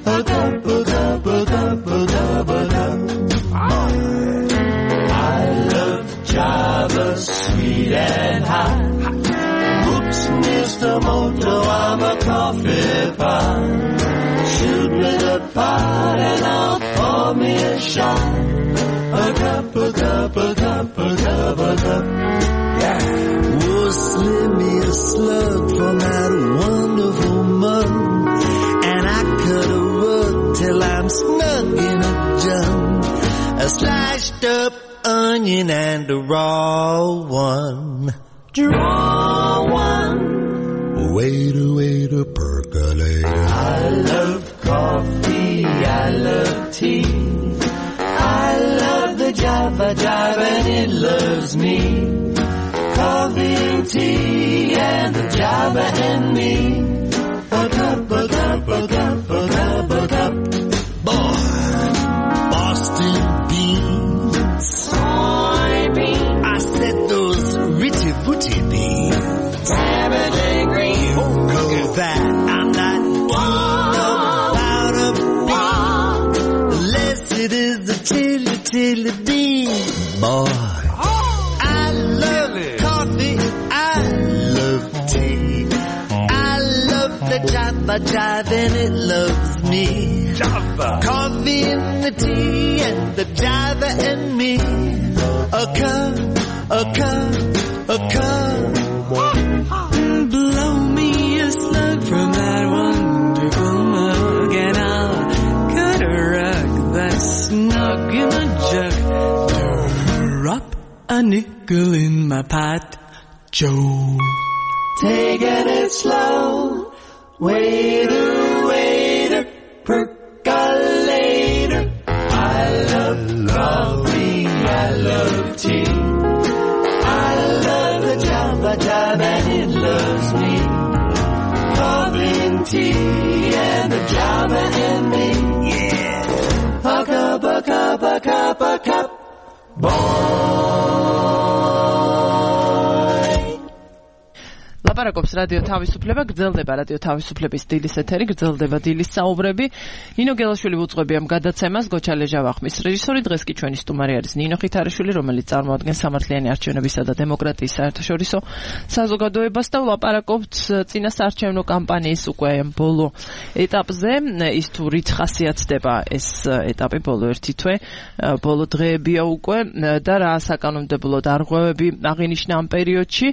A cup, a cup, a cup, a cup, a cup. I love Java, sweet and hot. Whoops, Mr. Moto, I'm a coffee pot. Shoot me the pot and I'll pour me a shot. A cup, a cup, a cup, a cup, a cup. Oh, slip me a slug from that wonderful mug, and I cut a rug till I'm snug in a jug. A sliced up onion and a raw one. Draw one. Wait a percolator. I love coffee, I love tea. I love the Java and it loves me. Coffee and tea and the Java and me. A cup, a cup, a cup, a cup, a cup. Boy, Boston beans, soybeans. I said those ritty booty beans. Saturday green. Oh, look at that. I'm not about a bean. Unless it is the tilly bean. Boy. Java and it loves me. Java. Coffee and the tea and the Java and me. A cup, a cup, a cup. Blow me a slug from that wonderful mug, and I'll cut a rug that's snug in a jug. Drop a nickel in my pot, Joe. Taking it slow. Waiter, percolator. I love coffee, I love tea. I love the Java and it loves me. Coffee and tea and the Java and me. Yeah. A cup, a cup, a cup, a cup. ლაპარაკობს რადიო თავისუფლება, გრძელდება რადიო თავისუფლების დილის ეთერი, გრძელდება დილის საუბრები. ნინო გელაშვილი უძღვები ამ გადაცემას, გოჩა ლეჟავახმის რეჟისორი. დღეს კი ჩვენი სტუმარი არის ნინო ხითარიშვილი, რომელიც წარმოადგენს სამართლიანი არჩევნებისა და დემოკრატიის საერთაშორისო საზოგადოებას და ლაპარაკობთ წინასაარჩევნო კამპანიის უკვე ბოლო ეტაპზე. ის თუ რით ხასიათდება ეს ეტაპი, ბოლო ერთი თვე, ბოლო დღეებია უკვე და რა საკანონმდებლო დარღვევები აღინიშნა ამ პერიოდში.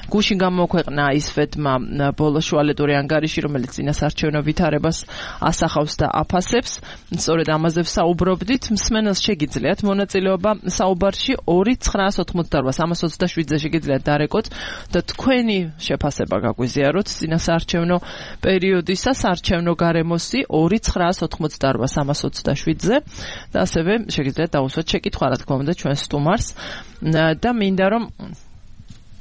გუშინ გამოქვეყნა ისფედმა ბოლო შუალედური ანგარიში, რომელიც წინასაარჩევნო ვითარებას ასახავს და აფასებს. სწორედ ამაზე ვსაუბრობდით. მსმენელს შეგიძლიათ მონაწილეობა საუბარში 2988327-ზე შეგიძლიათ დარეკოთ და თქვენი შეფასება გაგვიზიაროთ წინასაარჩევნო პერიოდისა საარჩევნო გარემოსი 2988327-ზე და ასევე შეგიძლიათ დაუსვათ შეკითხვა, რა თქმა უნდა, ჩვენ სტუმარს და მინდა რომ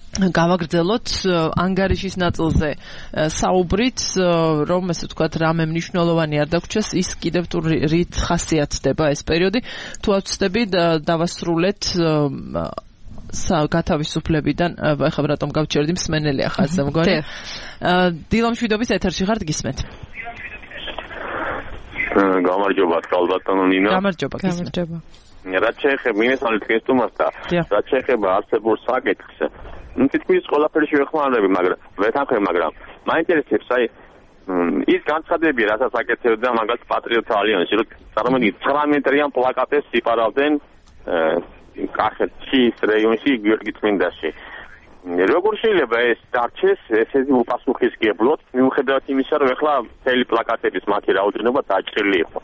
გავაგრძელოთ ანგარიშის ნაწილზე საუბრით, რომ ესე ვთქვათ, რამე მნიშვნელოვანი არ დაგვრჩეს, ის კიდევ თუ რით ხასიათდება ეს პერიოდი. თუ ავწდები დავასრულეთ გათავისუფლებიდან, ეხლა რატომ გავჩერდი მსმენელი ახალზე მგონი. დილამშვიდობის ეთერში ხართ, გისმენთ. გამარჯობა, კალბატონო ნინო. გამარჯობა. რაც შეეხება მინესალით კესტუმას და რაც შეეხება არსებულ საკითხს, თითქმის ყველაფერი შევეხმარები, მაგრამ ვეთანხმებ, მაგრამ მაინტერესებს ის განცხადებები, რასაც აკეთებდა მაგალითად პატრიოტთა ალიანსი, რომ წარმოგიდგენთ 19-რიან პლაკატებს იფარავდნენ კახეთის რაიონში გიორგი წმინდაში. როგორ შეიძლება ეს დარჩეს ესეთი უპასუხისმგებლოდ, მიუხედავად იმისა, რომ ეხლა მთელი პლაკატების მათი რაოდენობა დაჭრილი იყო.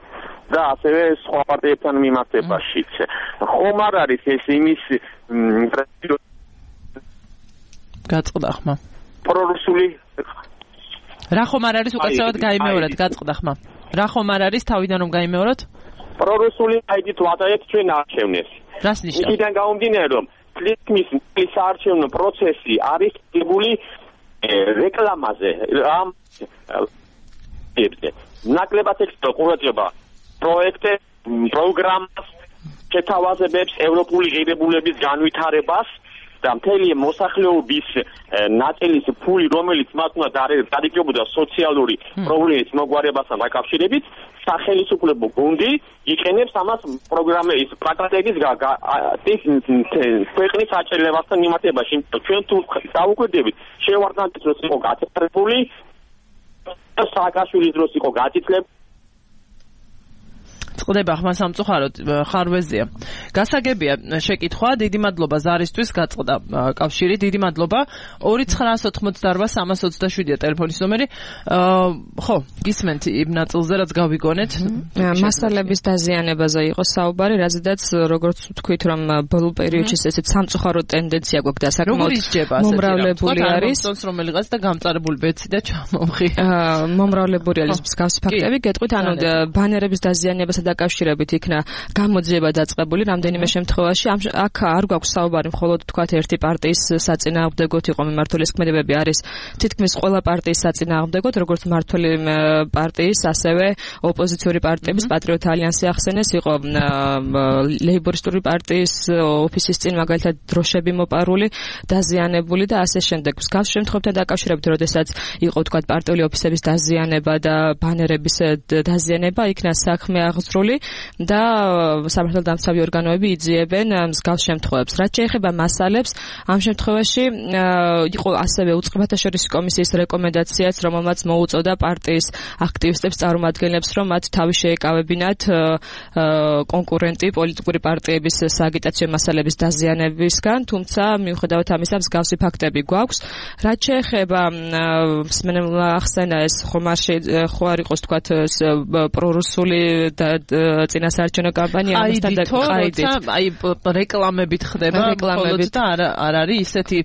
და ასევე სხვა პარტიებთან მიმართებაშიც. ხომ არ არის ეს იმის გაწყდა ხმა. პრორუსული რა ხომ არ არის უკაცრავად გაიმეოროთ, გაწყდა ხმა. რა ხომ არ არის თავიდან რომ გაიმეოროთ? პრორუსული აიდით ვატაეთ ჩვენ არჩევნებს. რას ნიშნავს? იქიდან გამომდინარე რომ თითქმის საარჩევნო პროცესი არის დებული რეკლამაზე, ამ ნაკლებად ექცევა ყურადღება პროექტე, პროგრამას, შეთავაზებებს, ევროპული ღირებულების განვითარებას და მთელი მოსახლეობის ნაწილის ფული, რომელიც მათ უნდა დადიდებოდა სოციალური პრობლემის მოგვარებასთან დაკავშირებით, სახელმწიფო გუნდი იყენებს ამას პროგრამების პლაკატების ქვეყნის აჭრილებასთან მიმართებაში. ჩვენ თუ დავუკვირდებით, შევარდნათ დროს იყო გაწევრებული, სააკაშვილის დროს იყო გაწიწლებული. წყდება ხმა სამწუხაროდ ხარვეზია. გასაგებია შეკითხვა, დიდი მადლობა ზარისთვის გაწყდა კავშირი, დიდი მადლობა. 2988-327-ია ტელეფონის ნომერი. ხო, გისმენთ იმ ნაწილზე, რაც გავიგონეთ. მასალების დაზიანებაზე იყო საუბარი, რაზედაც როგორც ვთქვით, რომ ბოლო პერიოდში ესეც სამწუხარო ტენდენცია გვაქვს და საკმაოდ მომრავლებული არის. რომელიღაც და გამწარებული ბეცი და ჩამომღი. მომრავლებული არის მსგავსი ფაქტები. გეტყვით, ანუ ბანერების დაზიანებასა დაკავშირებით იქნა გამოძიება დაწყებული რამდენიმე შემთხვევაში. აქ არ გვაქვს საუბარი მხოლოდ თქვათ ერთი პარტიის საწინააღმდეგოთ იყო მიმართული ქმედებები, არის თითქმის ყველა პარტიის საწინააღმდეგოთ, როგორც მმართველი პარტიის, ასევე ოპოზიციური პარტიების პატრიოტთა ალიანსი ახსენეს, იყო ლეიბორისტული პარტიის ოფისის წინ მაგალითად დროშები მოპარული, დაზიანებული და ასე შემდეგ. მსგავს შემთხვევებთან დაკავშირებით, როდესაც იყო თქვათ პარტიული ოფისების დაზიანება და ბანერების დაზიანება, იქნა საქმე აღძრული და სამართალდამცავი ორგანოები იძიებენ მსგავს შემთხვევებს. რაც შეეხება მასალებს, ამ შემთხვევაში იყო ასევე უწყებათა შორისი კომისიის რეკომენდაციაც, რომელმაც მოუწოდა პარტიის აქტივისტებს, წარმომადგენლებს, რომ მათ თავი შეეკავებინათ კონკურენტი პოლიტიკური პარტიების სააგიტაციო მასალების დაზიანებისგან, თუმცა მიუხედავად ამისა მსგავსი ფაქტები გვაქვს. რაც შეეხება მსმენელმა ახსენა ეს ხომ არ იყოს თქვათ პრორუსული წინასაარჩევნო კამპანია ამასთან დაყაიდით. აი რეკლამებით ხდება მხოლოდ და არ არის ისეთი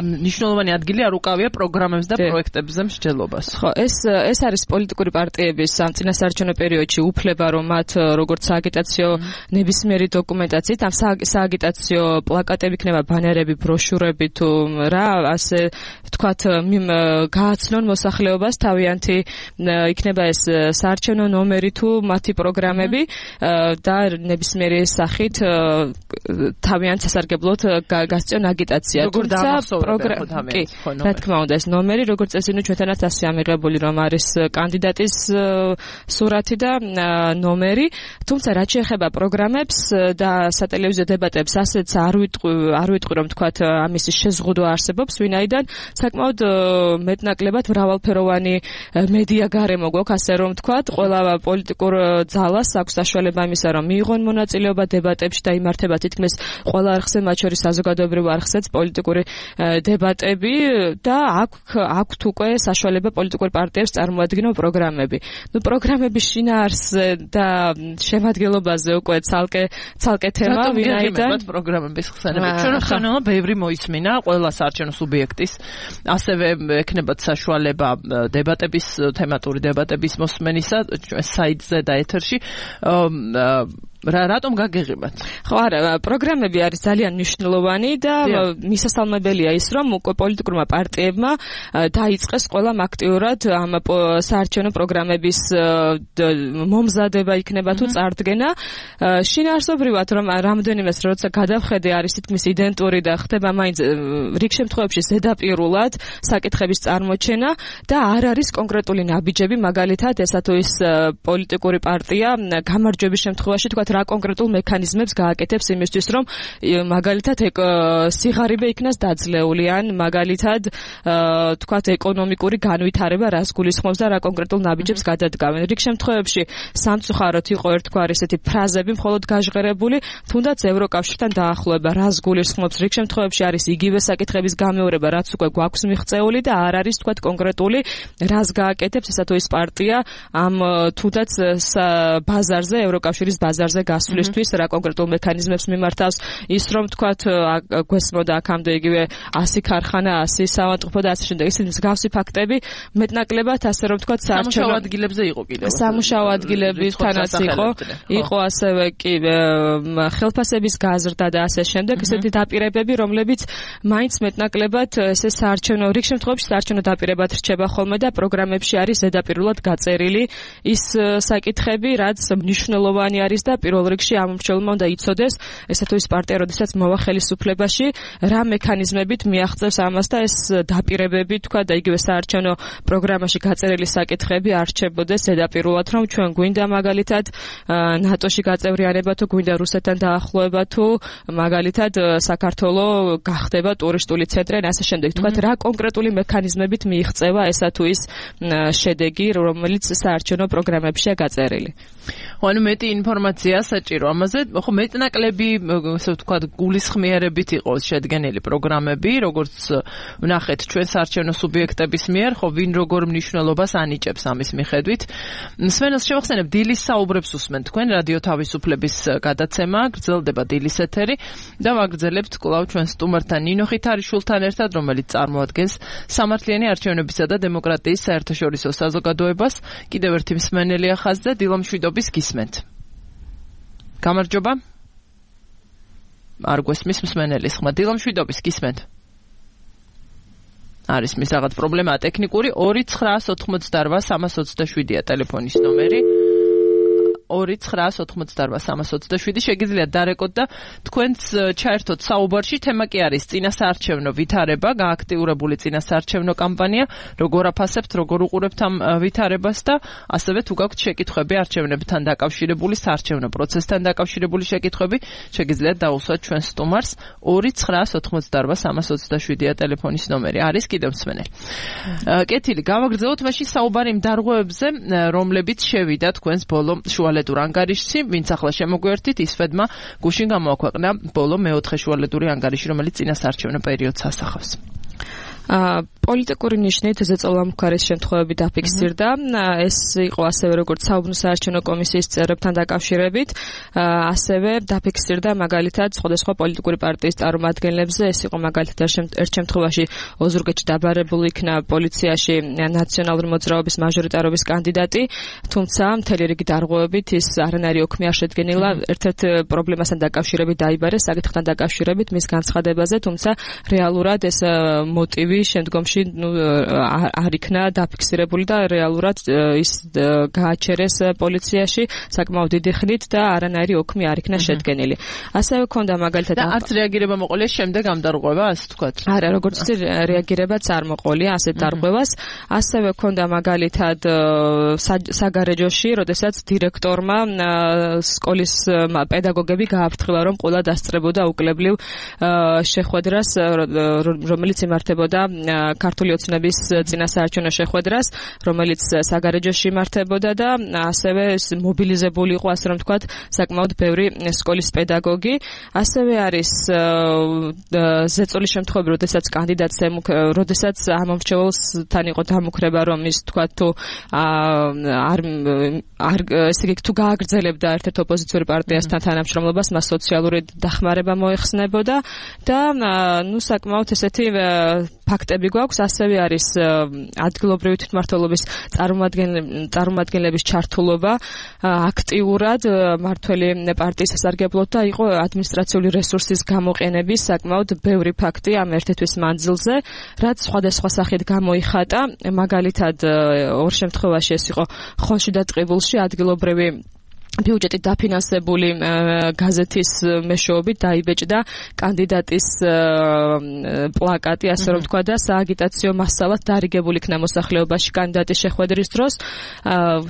მნიშვნელოვანი ადგილი არ უკავია პროგრამებს და პროექტებზე მსჯელობას. ხო, ეს არის პოლიტიკური პარტიების ამ წინასაარჩევნო პერიოდში უფლება, რომ მათ როგორც სააგიტაციო ნებისმიერი დოკუმენტაციით, ამ სააგიტაციო პლაკატები იქნება, ბანერები, ბროშურები თუ რა, ასე თქვათ, გააცნონ მოსახლეობას თავიანთი იქნება ეს საარჩევნო ნომერი თუ მათი პროგრამები და ნებისმიერი სახით თავიანთ სასარგებლოდ გასწიონ აგიტაცია. თუმცა კი, რა თქმა უნდა, ეს ნომერი, როგორც წესი, ჩვენთანაც ასე ამიღებული, რომ არის კანდიდატის სურათი და ნომერი, თუმცა რაც შეეხება პროგრამებს და სატელევიზიო დებატებს, ასეც არ ვიტყვი, რომ თქვათ ამის შეზღუდვა არსებობს, ვინაიდან საკმაოდ მეტნაკლებად მრავალფეროვანი მედია გარემო გვაქვს, ასე რომ თქვათ, ყველა პოლიტიკურ ძალას აქვს საშუალება იმისა, რომ მიიღონ მონაწილეობა დებატებში და იმართება თითქმის ყველა არხზე, მათ შორის საზოგადოებრივ არხზეც პოლიტიკური დებატები და აქვთ უკვე საშუალება პოლიტიკურ პარტიებს წარმოადგინონ პროგრამები. პროგრამების შინაარსზე და შემადგენლობაზე უკვე ცალკე თემა, ვინაიდან პროგრამების ხსენება. ჩვენ ხსენელა ბევრი მოისმინა ყველა საარჩევნო სუბიექტის, ასევე ექნებათ საშუალება თემატური დებატების მოსმენისა ჩვენ საიტზე და ეთერში. რატომ გაგეღებათ? ხო, არა, პროგრამები არის ძალიან მნიშვნელოვანი და მისასალმებელია ის, რომ უკვე პოლიტიკურმა პარტიებმა დაიწყეს ყველამ აქტიურად ამ საარჩევნო პროგრამების მომზადება იქნება თუ წარდგენა. შინაარსობრივად რომ რამდენიმეს როცა გადავხედე არის თითქმის იდენტური და ხდება მაინც რიგ შემთხვევებში ზედაპირულად საკითხების წარმოჩენა და არ არის კონკრეტული ნაბიჯები, მაგალითად ესა თუ ის პოლიტიკური პარტია გამარჯვების შემთხვევაში თქვა რა კონკრეტულ მექანიზმებს გააკეთებს იმისთვის რომ მაგალითად სიღარიბე იქნას დაძლეული ან მაგალითად თქვათ ეკონომიკური განვითარება რას გულისხმობს და რა კონკრეტულ ნაბიჯებს გადადგავენ. რიგ შემთხვევებში სამწუხაროდ იყო ერთგვარი ესეთი ფრაზები მხოლოდ გაჟღერებული, თუნდაც ევროკავშირთან დაახლოება რას გულისხმობს. რიგ შემთხვევებში არის იგივე საკითხების გამეორება, რაც უკვე გვაქვს მიღწეული და არ არის თქვათ კონკრეტული რას გააკეთებს ესა თუ ის პარტია ამ თუნდაც ბაზარზე, ევროკავშირის ბაზარზე გასვლისთვის რა კონკრეტულ მექანიზმებს მიმართავს. ის რომ თქვათ გვესმოდა აქამდე იგივე 100 ქარხანა, 100 საავადმყოფო და ასე შემდეგ. ისინი მსგავსი ფაქტები მეტნაკლებად ასე რომ თქვათ სამუშაო ადგილებზე იყო კიდევ. სამუშაო ადგილებთანაც იყო ასევე კი ხელფასების გაზრდა და ასე შემდეგ. ესეთი დაპირებები, რომლებიც მაინც მეტნაკლებად ესე საარჩევნო რიგ შემთხვევაში საარჩევნო დაპირებად რჩება ხოლმე და პროგრამებში არის ზედაპირულად გაწერილი ის საკითხები, რაც მნიშვნელოვანი არის და პირველ რიგში ამ მრჩეველმა უნდა იცოდეს ესა თუ ის პარტია, როდესაც მოვა ხელისუფლებაში, რა მექანიზმებით მიაღწევს ამას და ეს დაპირებები თქვა და იგივე საარჩევნო პროგრამაში გაწერილი საკითხები არ რჩებოდეს ზედაპირულად, რომ ჩვენ გვინდა მაგალითად ნატოში გაწევრიანება თუ გვინდა რუსეთთან დაახლოება თუ მაგალითად საქართველოს გახდება ტურისტული ცენტრი და ასე შემდეგ. თქვათ რა კონკრეტული მექანიზმებით მიიღწევა ესა თუ ის შედეგი, რომელიც საარჩევნო პროგრამებშია გაწერილი. ანუ მეტი ინფორმაცია საჭირო ამაზე, ხო მეტნაკლები, ასე ვთქვათ, გულისხმიერებით იყო შედგენილი პროგრამები, როგორც ვნახეთ ჩვენ საარჩევნო სუბიექტების მიერ, ხო ვინ როგორ მნიშვნელობას ანიჭებს ამის მიხედვით. სვენელს შევახსენებ, დილის საუბრებს უსმენთ თქვენ რადიო თავისუფლების გადაცემა, გრძელდება დილის ეთერი და ვაგრძელებთ კვლავ ჩვენ სტუმართან ნინო ხითარიშვილთან ერთად, რომელიც წარმოადგენს სამართლიანი არჩევნებისა და დემოკრატიის საერთაშორისო საზოგადოებას. კიდევ ერთი მსმენელი ახაზზე დილო მშვიდობის გისმენთ. გამარჯობა. არ გვესმის მსმენელის ხმა. დილო მშვიდობის გისმენთ. არის მის რაღაც პრობლემა ტექნიკური 2988327-327-ია ტელეფონის ნომერი. 2988327 შეგიძლიათ დარეკოთ და თქვენც ჩაერთოთ საუბარში. თემა კი არის წინასაარჩევნო ვითარება, გააქტიურებული წინასაარჩევნო კამპანია, როგორ აფასებთ, როგორ უყურებთ ამ ვითარებას და ასევე თუ გაქვთ შეკითხვები არჩევნებთან დაკავშირებული, საარჩევნო პროცესთან დაკავშირებული შეკითხვები, შეგიძლიათ დაუსვათ ჩვენ სტუმარს. 2988327-327-ია ტელეფონის ნომერი. არის კიდევ მსმენელი. კეთილი, გავაგრძელოთ მაშინ საუბარი იმ დარღვევებზე, რომლებიც შევიდა თქვენს ბოლო შუალედურ ანგარიშში, ვინც ახლა შემოგვერთით, ისვედმა გუშინ გამოაქვეყნა ბოლო მეოთხე შუალედური ანგარიში, რომელიც წინასაარჩევნო პერიოდს ასახავს. პოლიტიკური ნიშნით ზეწოლამქარის შემთხვევები დაფიქსირდა. ეს იყო ასევე როგორც საუბნო საარჩევნო კომისიის წევრებთან დაკავშირებით, ასევე დაფიქსირდა მაგალითად სხვადასხვა პოლიტიკური პარტიის წარმომადგენლებზე. ეს იყო მაგალითად ერთ შემთხვევაში ოზურგეთში დაბარებული იქნა პოლიციაში ნაციონალური მოძრაობის მაჟორიტარობის კანდიდატი, თუმცა მთელი რიგი დარღვევებით ის არანაირი ოქმი არ შედგენილა. ერთ-ერთ პრობლემასთან დაკავშირებით დაიბარეს, საკითხთან დაკავშირებით მის განცხადებაზე, თუმცა რეალურად ეს მოტივი შემდგომში არ იქნა დაფიქსირებული და რეალურად ის გააჩერეს პოლიციაში საკმაოდ დიდი ხნით და არანაირი ოქმი არ იქნა შედგენილი. ასევე ქონდა მაგალითად და არც რეაგირება მოყოლია შემდეგ ამ დარღვევას, თქვათ. არა, როგორც ვთქვი, რეაგირებაც არ მოყოლია ასეთ დარღვევას. ასევე ქონდა მაგალითად საგარეჯოში, როდესაც დირექტორმა სკოლის პედაგოგები გააფრთხილა, რომ ყველა დასწრებოდა უკლებლივ შეხვედრას, რომელიც იმართებოდა ქართული ოცნების წინასაარჩევნო შეხვედრას, რომელიც საგარეჯოში იმართებოდა და ასევე მობილიზებული იყო, ასე რომ ვთქვათ, საკმაოდ ბევრი სკოლის პედაგოგი. ასევე არის ზეწოლის შემთხვევები, როდესაც კანდიდატს როდესაც ამ მრჩეველთან იყო დამუქრება, რომ ის ვთქვათ თუ ესე იგი თუ გააგრძელებდა ერთ-ერთ ოპოზიციური პარტიასთან თანამშრომლობას, მას სოციალური დახმარება მოეხსნებოდა და საკმაოდ ესეთი ფაქტები გვაქვს, ასევე არის ადგილობრივი თვითმმართველობის წარმომადგენლების ჩართულობა აქტიურად მართველი პარტიის სასარგებლოდ და იყო ადმინისტრაციული რესურსის გამოყენების საკმაოდ ბევრი ფაქტი ამ ერთ-თვის მანძილზე, რაც სხვადასხვა სახით გამოიხატა. მაგალითად, ორ შემთხვევაში ეს იყო ხონში და ტყიბულში ადგილობრივი ბიუჯეტით დაფინანსებული გაზეთის მეშვეობით დაიბეჭდა კანდიდატის პლაკატი, ასე რომ თქვა და სააგიტაციო მასალად დარიგებული იქნა მოსახლეობაში კანდიდატის შეხვედრის დროს.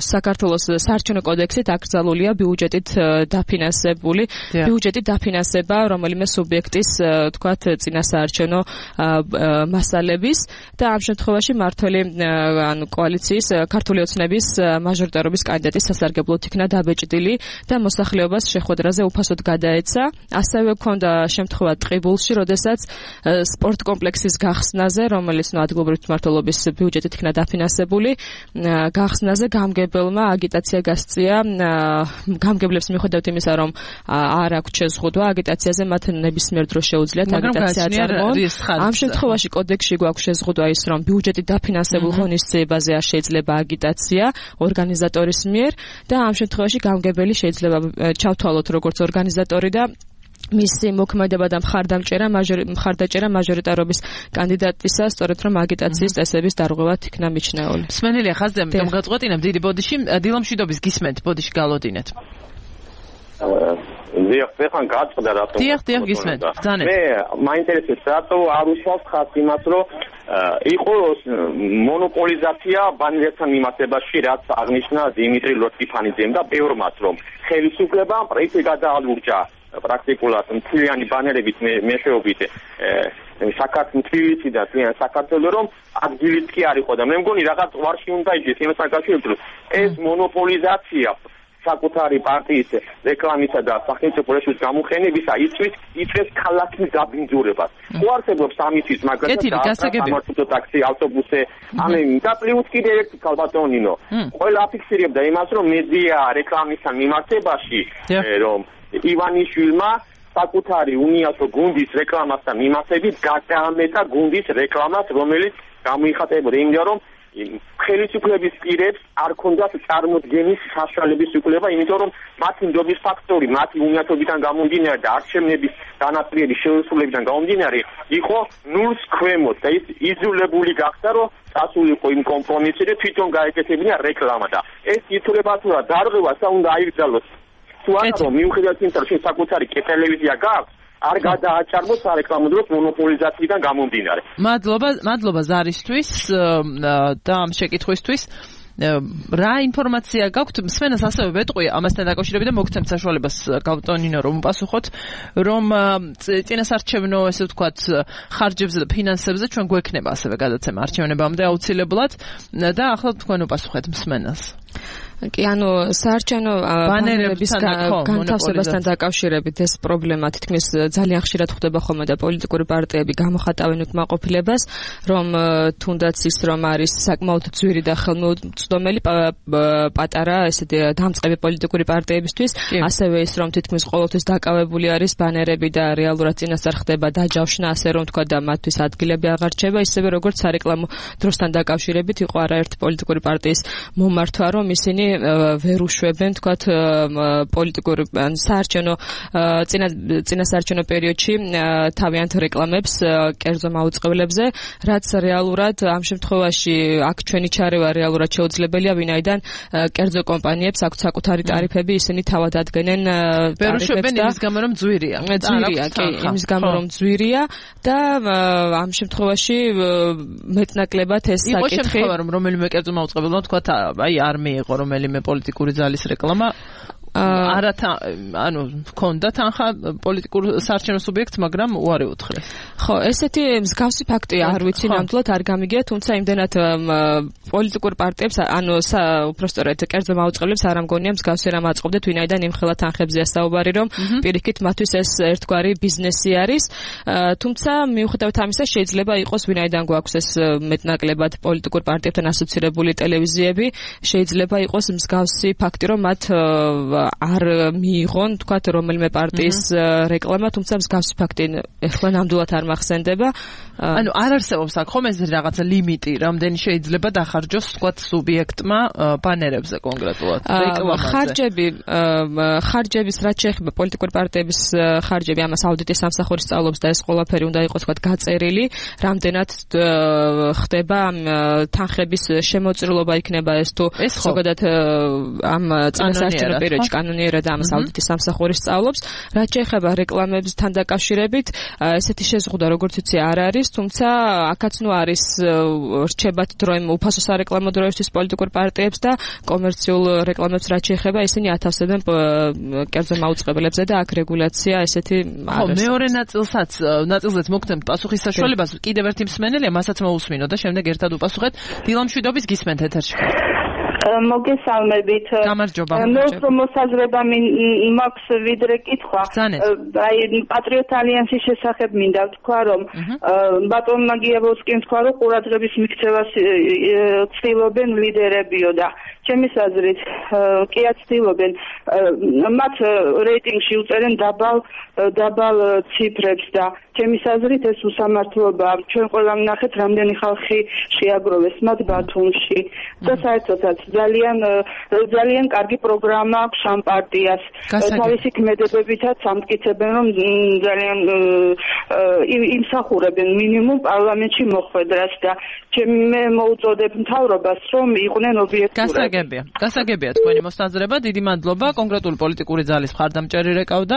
საქართველოს საარჩევნო კოდექსით აკრძალულია ბიუჯეტით დაფინანსებული ბიუჯეტით დაფინანსება რომელიმე სუბიექტის თქვათ წინასაარჩევნო მასალების და ამ შემთხვევაში მართველი კოალიციის ქართული ოცნების მაჟორიტარობის კანდიდატის სასარგებლოდ იქნა დაბეჭდილი და მოსახლეობას შეხვედრაზე უფასოდ გადაეცა. ასევე ჰქონდა შემთხვევა ტყიბულში, როდესაც სპორტ კომპლექსის გახსნაზე, რომელიც ადგილობრივი თვითმმართველობის ბიუჯეტით იქნა დაფინანსებული, გახსნაზე გამგებელმა აგიტაცია გასწია. გამგებლებს მიუხედავად იმისა, რომ არ აქვთ შეზღუდვა აგიტაციაზე, მათ ნებისმიერ დროს შეუძლიათ აგიტაცია აწარმოონ. ამ შემთხვევაში კოდექსში გვაქვს შეზღუდვა ის, რომ ბიუჯეტით დაფინანსებულ ღონისძიებაზე არ შეიძლება აგიტაცია ორგანიზატორის მიერ და ამ შემთხვევაში გამგებელი შეიძლება ჩავთვალოთ როგორც ორგანიზატორი და მისი მოქმედება და მხარდაჭერა მაჟორიტარობის კანდიდატისა, სწორედ რომ აგიტაციის წესების დარღვევად იქნა მიჩნეული. მსმენელია ხაზზე, ამიტომ გაწყვეტინებ დიდი ბოდიში, დილამშვიდობის გისმენთ, ბოდიში გალოდინეთ. დიახ, ხან გაწყდა რატომ? დიახ, გისმენთ. ძანეთ. მე მაინტერესებს რატო არ უშავს ხალხს იმას, რომ იყოს მონოპოლიზაცია ბანერებთან მიმართებაში, რაც აღნიშნა დიმიტრი ლოტიფანიძემ და ბევრმაც, რომ ხელისუფლებამ პროექტი გადაალურჯა პრაქტიკულად მთლიანი ბანერებით მეშვეობით საქართველოს და ძალიან საქართველოს, რომ ადგილიც კი არ იყო და მე მგონი რაღაც ვარში უნდა იჯდეს იმ საკავშირო ეს მონოპოლიზაცია საკუთარი პარტიის რეკლამისა და სახელმწიფო რესურსის გამოყენებისა იწვევს ქალაქის გაბინძურებას. ხო არსებობს ამისთვის, მაგრამ სამართლო ტაქსი, ავტობუსი, და პლუს კიდევ ერთი ქალბატონინო. ყველა აფიქსირებდა იმას, რომ მედია რეკლამისთან მიმართებაში, რომ ივანიშვილმა საკუთარი უნიასო გუნდის რეკლამასთან მიმართებით გადაამეტა გუნდის რეკლამას, რომელიც გამოიხატებოდა იმდა, რომ ხელისუფლების პირებს არ ქონდათ წარმოდგენის საშუალების უფლება, იმიტომ რომ მათი ნდობის ფაქტორი, მათი უნიათობიდან გამომდინარე და არჩევნების განაწილების შეუსრულებიდან გამომდინარე იყო ნულს ქვემოთ და ის იზოლებული გახდა, რომ წასულიყო იმ კომპრომისში და თვითონ გაეკეთებინა რეკლამა და ეს ითვლება თუ რა დარღვევასა უნდა აიგრძალოს. თუ არა რომ მიუხედავად იმისა, რომ შენ საკუთარი ტელევიზია გაქვს, არ გადააჭარბოს სარეკლამო დროს მონოპოლიზაციიდან გამომდინარე. მადლობა ზარისთვის და ამ შეკითხვისთვის. რა ინფორმაცია გაქვთ? მსმენელს ასევე ვეტყვი ამასთან დაკავშირებით და მოგცემთ საშუალებას გავტონინო რომ უპასუხოთ, რომ წინასარჩევნო ესე ვთქვათ ხარჯებზე და ფინანსებზე ჩვენ გვექნება ასევე გადაცემა არჩევნებამდე აუცილებლად და ახლა თქვენ უპასუხეთ მსმენელს. კი, საარჩევნო ბანერების განთავსებასთან დაკავშირებით ეს პრობლემა თითქმის ძალიან ხშირად ხდება ხოლმე და პოლიტიკური პარტიები გამოხატავენ უკმაყოფილებას, რომ თუნდაც ის რომ არის საკმაოდ ძვირი და ხელმოუწვდომელი პატარა ესეთი დამწყები პოლიტიკური პარტიებისთვის, ასევე ის რომ თითქმის ყოველთვის დაკავებული არის ბანერები და რეალურად წინასწარ ხდება დაჯავშნა, ასე რომ თქვა და მათთვის ადგილები აღარ რჩება, ისევე როგორც სარეკლამო დროსთან დაკავშირებით იყო არაერთი პოლიტიკური პარტიის მომართვა, რომ ისინი ვერ უშვებენ თქვათ პოლიტიკური საარჩევნო წინასაარჩევნო პერიოდში თავიანთ რეკლამებს კერძო მაუწყებლებზე, რაც რეალურად ამ შემთხვევაში აქ ჩვენი ჩარევა რეალურად შეუძლებელია, ვინაიდან კერძო კომპანიებს აქვთ საკუთარი ტარიფები, ისინი თავად ადგენენ ტარიფებს და იმის გამო რომ ძვირია, იმის გამო რომ ძვირია და ამ შემთხვევაში მეტნაკლებად ეს საკითხი იყო შემთხვევა რომ რომელიმე კერძო მაუწყებელმა თქვათ აი არ მიიღო რომელიმე პოლიტიკური ძალის რეკლამა ქონდა თანხა პოლიტიკურ საარჩევნო სუბიექტს, მაგრამ უარი უთხრეს. ხო, ესეთი მსგავსი ფაქტი არ ვიცი ნამდვილად არ გამიგია, თუმცა იმდენად პოლიტიკურ პარტიებს, უпростоრად კერძო მაუწყებლებს არ ამგონია მსგავსი რამ აწყობდეთ, ვინაიდან იმხელა თანხებზეა საუბარი, რომ პირიქით მათთვის ეს ერთგვარი ბიზნესი არის. თუმცა მიუხედავად ამისა შეიძლება იყოს, ვინაიდან გვაქვს ეს მეტნაკლებად პოლიტიკურ პარტიებთან ასოცირებული ტელევიზიები, შეიძლება იყოს მსგავსი ფაქტი, რომ მათ არ მიიღონ თქვათ რომელიმე პარტიის რეკლამა, თუმცა მსგავსი ფაქტი ეხლა ნამდვილად არ მახსენდება. ანუ არ არსებობს აქ ხომ ეს რაღაცა ლიმიტი, რამდენი შეიძლება დახარჯოს თქვათ სუბიექტმა ბანერებზე კონკრეტულად რეკლამაზე. ხარჯების რაც შეეხება პოლიტიკური პარტიების ხარჯები, ამას აუდიტის სამსახური სწავლობს და ეს ყველაფერი უნდა იყოს თქვათ გაწერილი, რამდენად ხდება თანხების შემოწირულობა იქნება ეს თუ ზოგადად ამ წინასაარჩევნო პერიოდში კანონიერად ამას აუდიტის სამსახური სწავლობს. რაც შეეხება რეკლამებთან დაკავშირებით, ესეთი შეზღუდვა როგორც იცი არ არის, თუმცა აქაც ნუ არის რჩებათ დროიმ უფასო სარეკლამო დროისთვის პოლიტიკურ პარტიებს და კომერციულ რეკლამებს რაც შეეხება, ისინი ათავსებენ კერძო მაუწყებელებზე და აქ რეგულაცია ესეთი არის. მეორე ნაწილზეც მოგცემთ პასუხის საშუალებას, კიდევ ერთი მსმენელია, მასაც მოусმინო და შემდეგ ერთად უპასუხეთ. დილამშვიდობის გისმენთ ეთერში. მოგესალმებით. გამარჯობა. მე უფრო მოსაზრება მაქვს ვიდრე კითხვა. აი პატრიოტ ალიანსის შესახებ მინდა ვთქვა, რომ ბატონმა გიაბოვსკიმ თქვა, რომ ყურადღების მიქცევას ცდილობენ ლიდერებიო და ჩემის აზრით კი აცდილობენ. მათ რეიტინგში უწერენ დაბალ ციფრებს და ჩემის აზრით ეს უსამართლობაა. ჩვენ ყველა ვნახეთ, რამდენი ხალხი შეაგროვეს მათ ბათუმში და საერთოდაც ძალიან კარგი პროგრამა აქვს ამ პარტიას. თავისი ქმედებებითაც ამტკიცებენ, რომ ძალიან იმსახურებენ მინიმუმ პარლამენტში მოხვედრას და მე მოუწოდებ მთავრობას, რომ იყვნენ ობიექტურები. გასაგებია თქვენი მოსაზრება, დიდი მადლობა კონკრეტული პოლიტიკური ძალის მხარდამჭერი რეკავდა.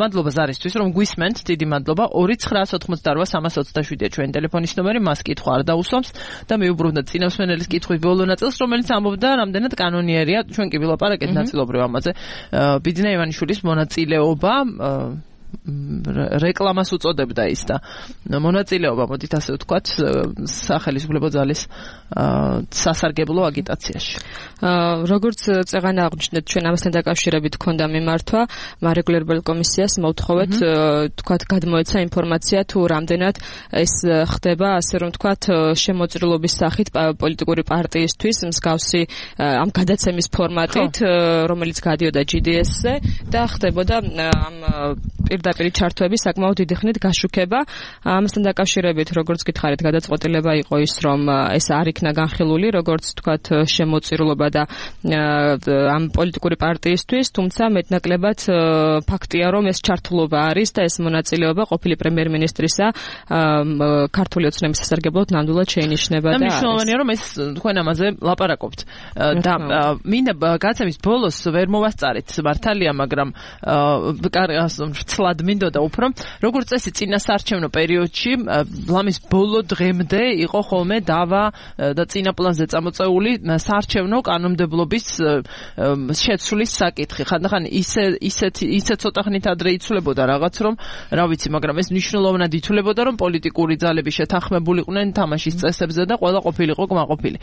მადლობა ზარისთვის, რომ გვისმენთ, დიდი მადლობა. 2988327-ია ჩვენი ტელეფონის ნომერი, მას კითხვა არ დაუსვამს და მიუბრუნდეთ წინასვენელის კითხვის ბოლო ნაწილს, რომელიც ამბობდა, რამდენად კანონიერია, ჩვენ კი ვილაპარაკეთ ნაწილობრივ ამაზე. ბიძინა ივანიშვილის მონაწილეობა რეკლამას უწოდებდა ის და მონაწილეობა, მოდით ასე ვთქვათ, სახელისუფლებო ძალის სასარგებლო აგიტაციაში. როგორც წეღანა აღნიშნეთ, ჩვენ ამასთან დაკავშირებით გქონდა მიმართვა, მარეგულირებელ კომისიას მოვთხოვეთ თქვათ გადმოეცა ინფორმაცია თუ რამდენად ეს ხდება, ასე რომ თქვათ, შემოწირულობის სახით პოლიტიკური პარტიისთვის მსგავსი ამ გადაცემის ფორმატით, რომელიც გადიოდა GDS-ზე და ხდებოდა ამ პირდაპირ ჩართვების საკმაოდ დიდი ხნით გაშუქება. ამასთან დაკავშირებით, როგორც გითხარით, გადაწყვეტილება იყო ის, რომ ეს არ იქნა განხილული, როგორც თქვათ, შემოწირულობა და ამ პოლიტიკური პარტიისთვის, თუმცა მეტნაკლებად ფაქტია, რომ ეს ჩართულობა არის და ეს მონაწილეობა ყოფილი პრემიერ-მინისტრისა ქართული ოცნების სასარგებლოდ ნამდვილად შეინიშნება და მნიშვნელოვანია, რომ ეს თქვენ ამაზე ლაპარაკობთ. და მინდა გაცემის ბოლოს ვერ მოვასწარეთ მართალია, მაგრამ ცლად მინდოდა უფრო, როგორც წესი წინასაარჩევნო პერიოდში, ლამის ბოლო დღემდე იყო ხოლმე დავა და წინა პლანზე წამოწეული საარჩევნო კანონმდებლობის შეცვლის საკითხი. ხანდახან ისე ცოტა ხნით ადრე იცვლებოდა რაღაც, რომ რა ვიცი, მაგრამ ეს მნიშვნელოვნად ითვლებოდა, რომ პოლიტიკური ძალები შეთანხმებულიყვნენ თამაშის წესებზე და ყველა ყოფილიყო კმაყოფილი.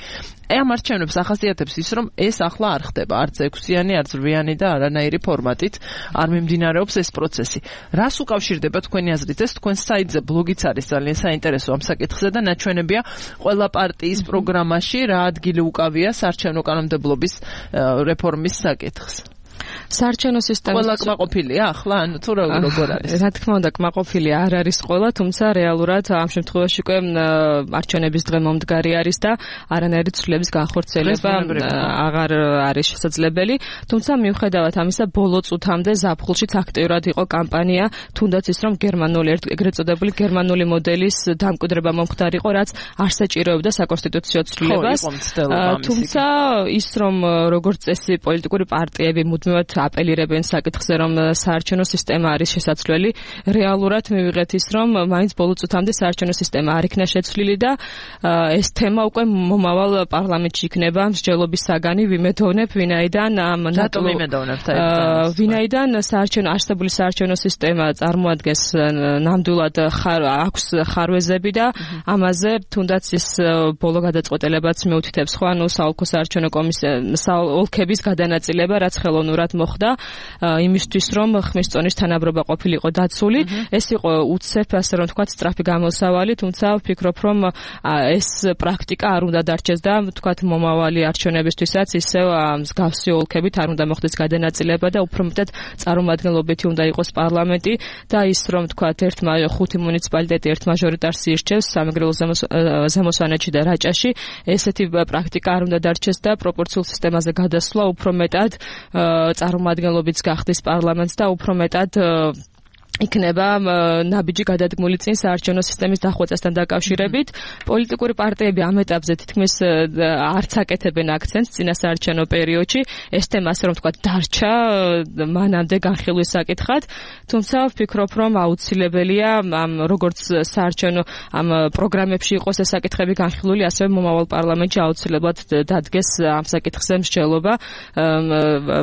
ამ არჩევნებს ახასიათებს ის, რომ ეს ახლა არ ხდება, არც 6-იანი, არც 8-იანი და არანაირი ფორმატით არ მიმდინარეობს ეს პროცესი. რას უკავშირდება თქვენი აზრით ეს? თქვენ საიტზე ბლოგიც არის ძალიან საინტერესო ამ საკითხზე და ნაჩვენებია ყველა პარტიის პროგრამაში რა ადგილი უკავია საარჩევნო კანონმდებლობის რეფორმის საკითხს. საარჩევნო სისტემის ყველა კმაყოფილია ახლა, ანუ თუ როგორ არის? რა თქმა უნდა, კმაყოფილი არ არის ყველა, თუმცა რეალურად ამ შემთხვევაში უკვე არჩევნების დღე მომდგარი არის და არანაირი ცვლილების განხორციელება აღარ არის შესაძლებელი. თუმცა მიუხედავად ამისა, ბოლო წუთამდე ზაფხულშიც აქტიურად იყო კამპანია, თუნდაც ის, რომ გერმანული ეგრეთ წოდებული გერმანული მოდელის დამკვიდრება მომხდარიყო, რაც არ საჭიროებდა საკონსტიტუციო ცვლილებას. თუმცა ის, რომ როგორც წესი პოლიტიკური პარტიები მუდმივად აპელირებენ საკითხზე, რომ საარჩევნო სისტემა არის შესაძლებელი, რეალურად მივიღეთ ის, რომ მაინც ბოლო წუთამდე საარჩევნო სისტემა არ იქნა შეცვლილი და ეს თემა უკვე მომავალ პარლამენტში იქნება მსჯელობის საგანი, ვიმედოვნებ, ვინაიდან არსებული საარჩევნო სისტემა წარმოადგენს ნამდვილად აქვს ხარვეზები და ამაზე თუნდაც ის ბოლო გადაწყვეტილებაც მეუთითებს, ხო, ანუ საოლქო საარჩევნო კომისია ოლქების გადანაწილება, რაც ხელოვნურად მოხდა იმისთვის რომ ხმის წონის თანაბრობა ყოფილიყო დაცული ეს იყო უცებ ასე რომ თქვა სწრაფი გამოსავალი თუმცა ვფიქრობ რომ ეს პრაქტიკა არ უნდა დარჩეს და თქვა მომავალი არჩევნებისთვისაც ისევ მსგავსი ოლქებით არ უნდა მოხდეს გადანაწილება და უფრო მეტად წარმომადგენლობითი უნდა იყოს პარლამენტი და ის რომ თქვა ერთმა 5 მუნიციპალიტეტი ერთ მაჟორიტარს ირჩევს სამეგრელო ზემოსვანეთში და რაჭაში ესეთი პრაქტიკა არ უნდა დარჩეს და პროპორციულ სისტემაზე გადასვლა უფრო მეტად წარმომადგენლობიც გახდეს პარლამენტს და უფრო მეტად იქნება ნაბიჯი გადადგმული წინ საარჩევნო სისტემის დახვეწასთან დაკავშირებით. პოლიტიკური პარტიები ამ ეტაპზე თითქმის არც აკეთებენ აქცენტს წინა საარჩევნო პერიოდში. ეს თემა ასე რომ თქვა დარჩა მანამდე განხილვის საკითხად. თუმცა ვფიქრობ რომ აუცილებელია ამ როგორც საარჩევნო ამ პროგრამებში იყოს ეს საკითხები განხილული, ასევე მომავალ პარლამენტში აუცილებლად დადგეს ამ საკითხზე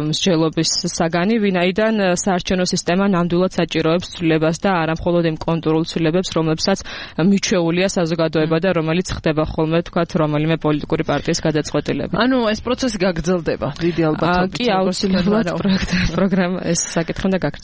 მსჯელობის საგანი, ვინაიდან საარჩევნო სისტემა ნამდვილად საჭიროებს ცვლილებას და არა მხოლოდ იმ კონტურულ ცვლილებებს, რომლებსაც მიჩვეულია საზოგადოება და რომელიც ხდება ხოლმე თქვათ რომელიმე პოლიტიკური პარტიის გადაწყვეტილება. ანუ ეს პროცესი გაგრძელდება დიდი ალბათობით. კი, აუცილებლად პროგრამა ეს საკითხი უნდა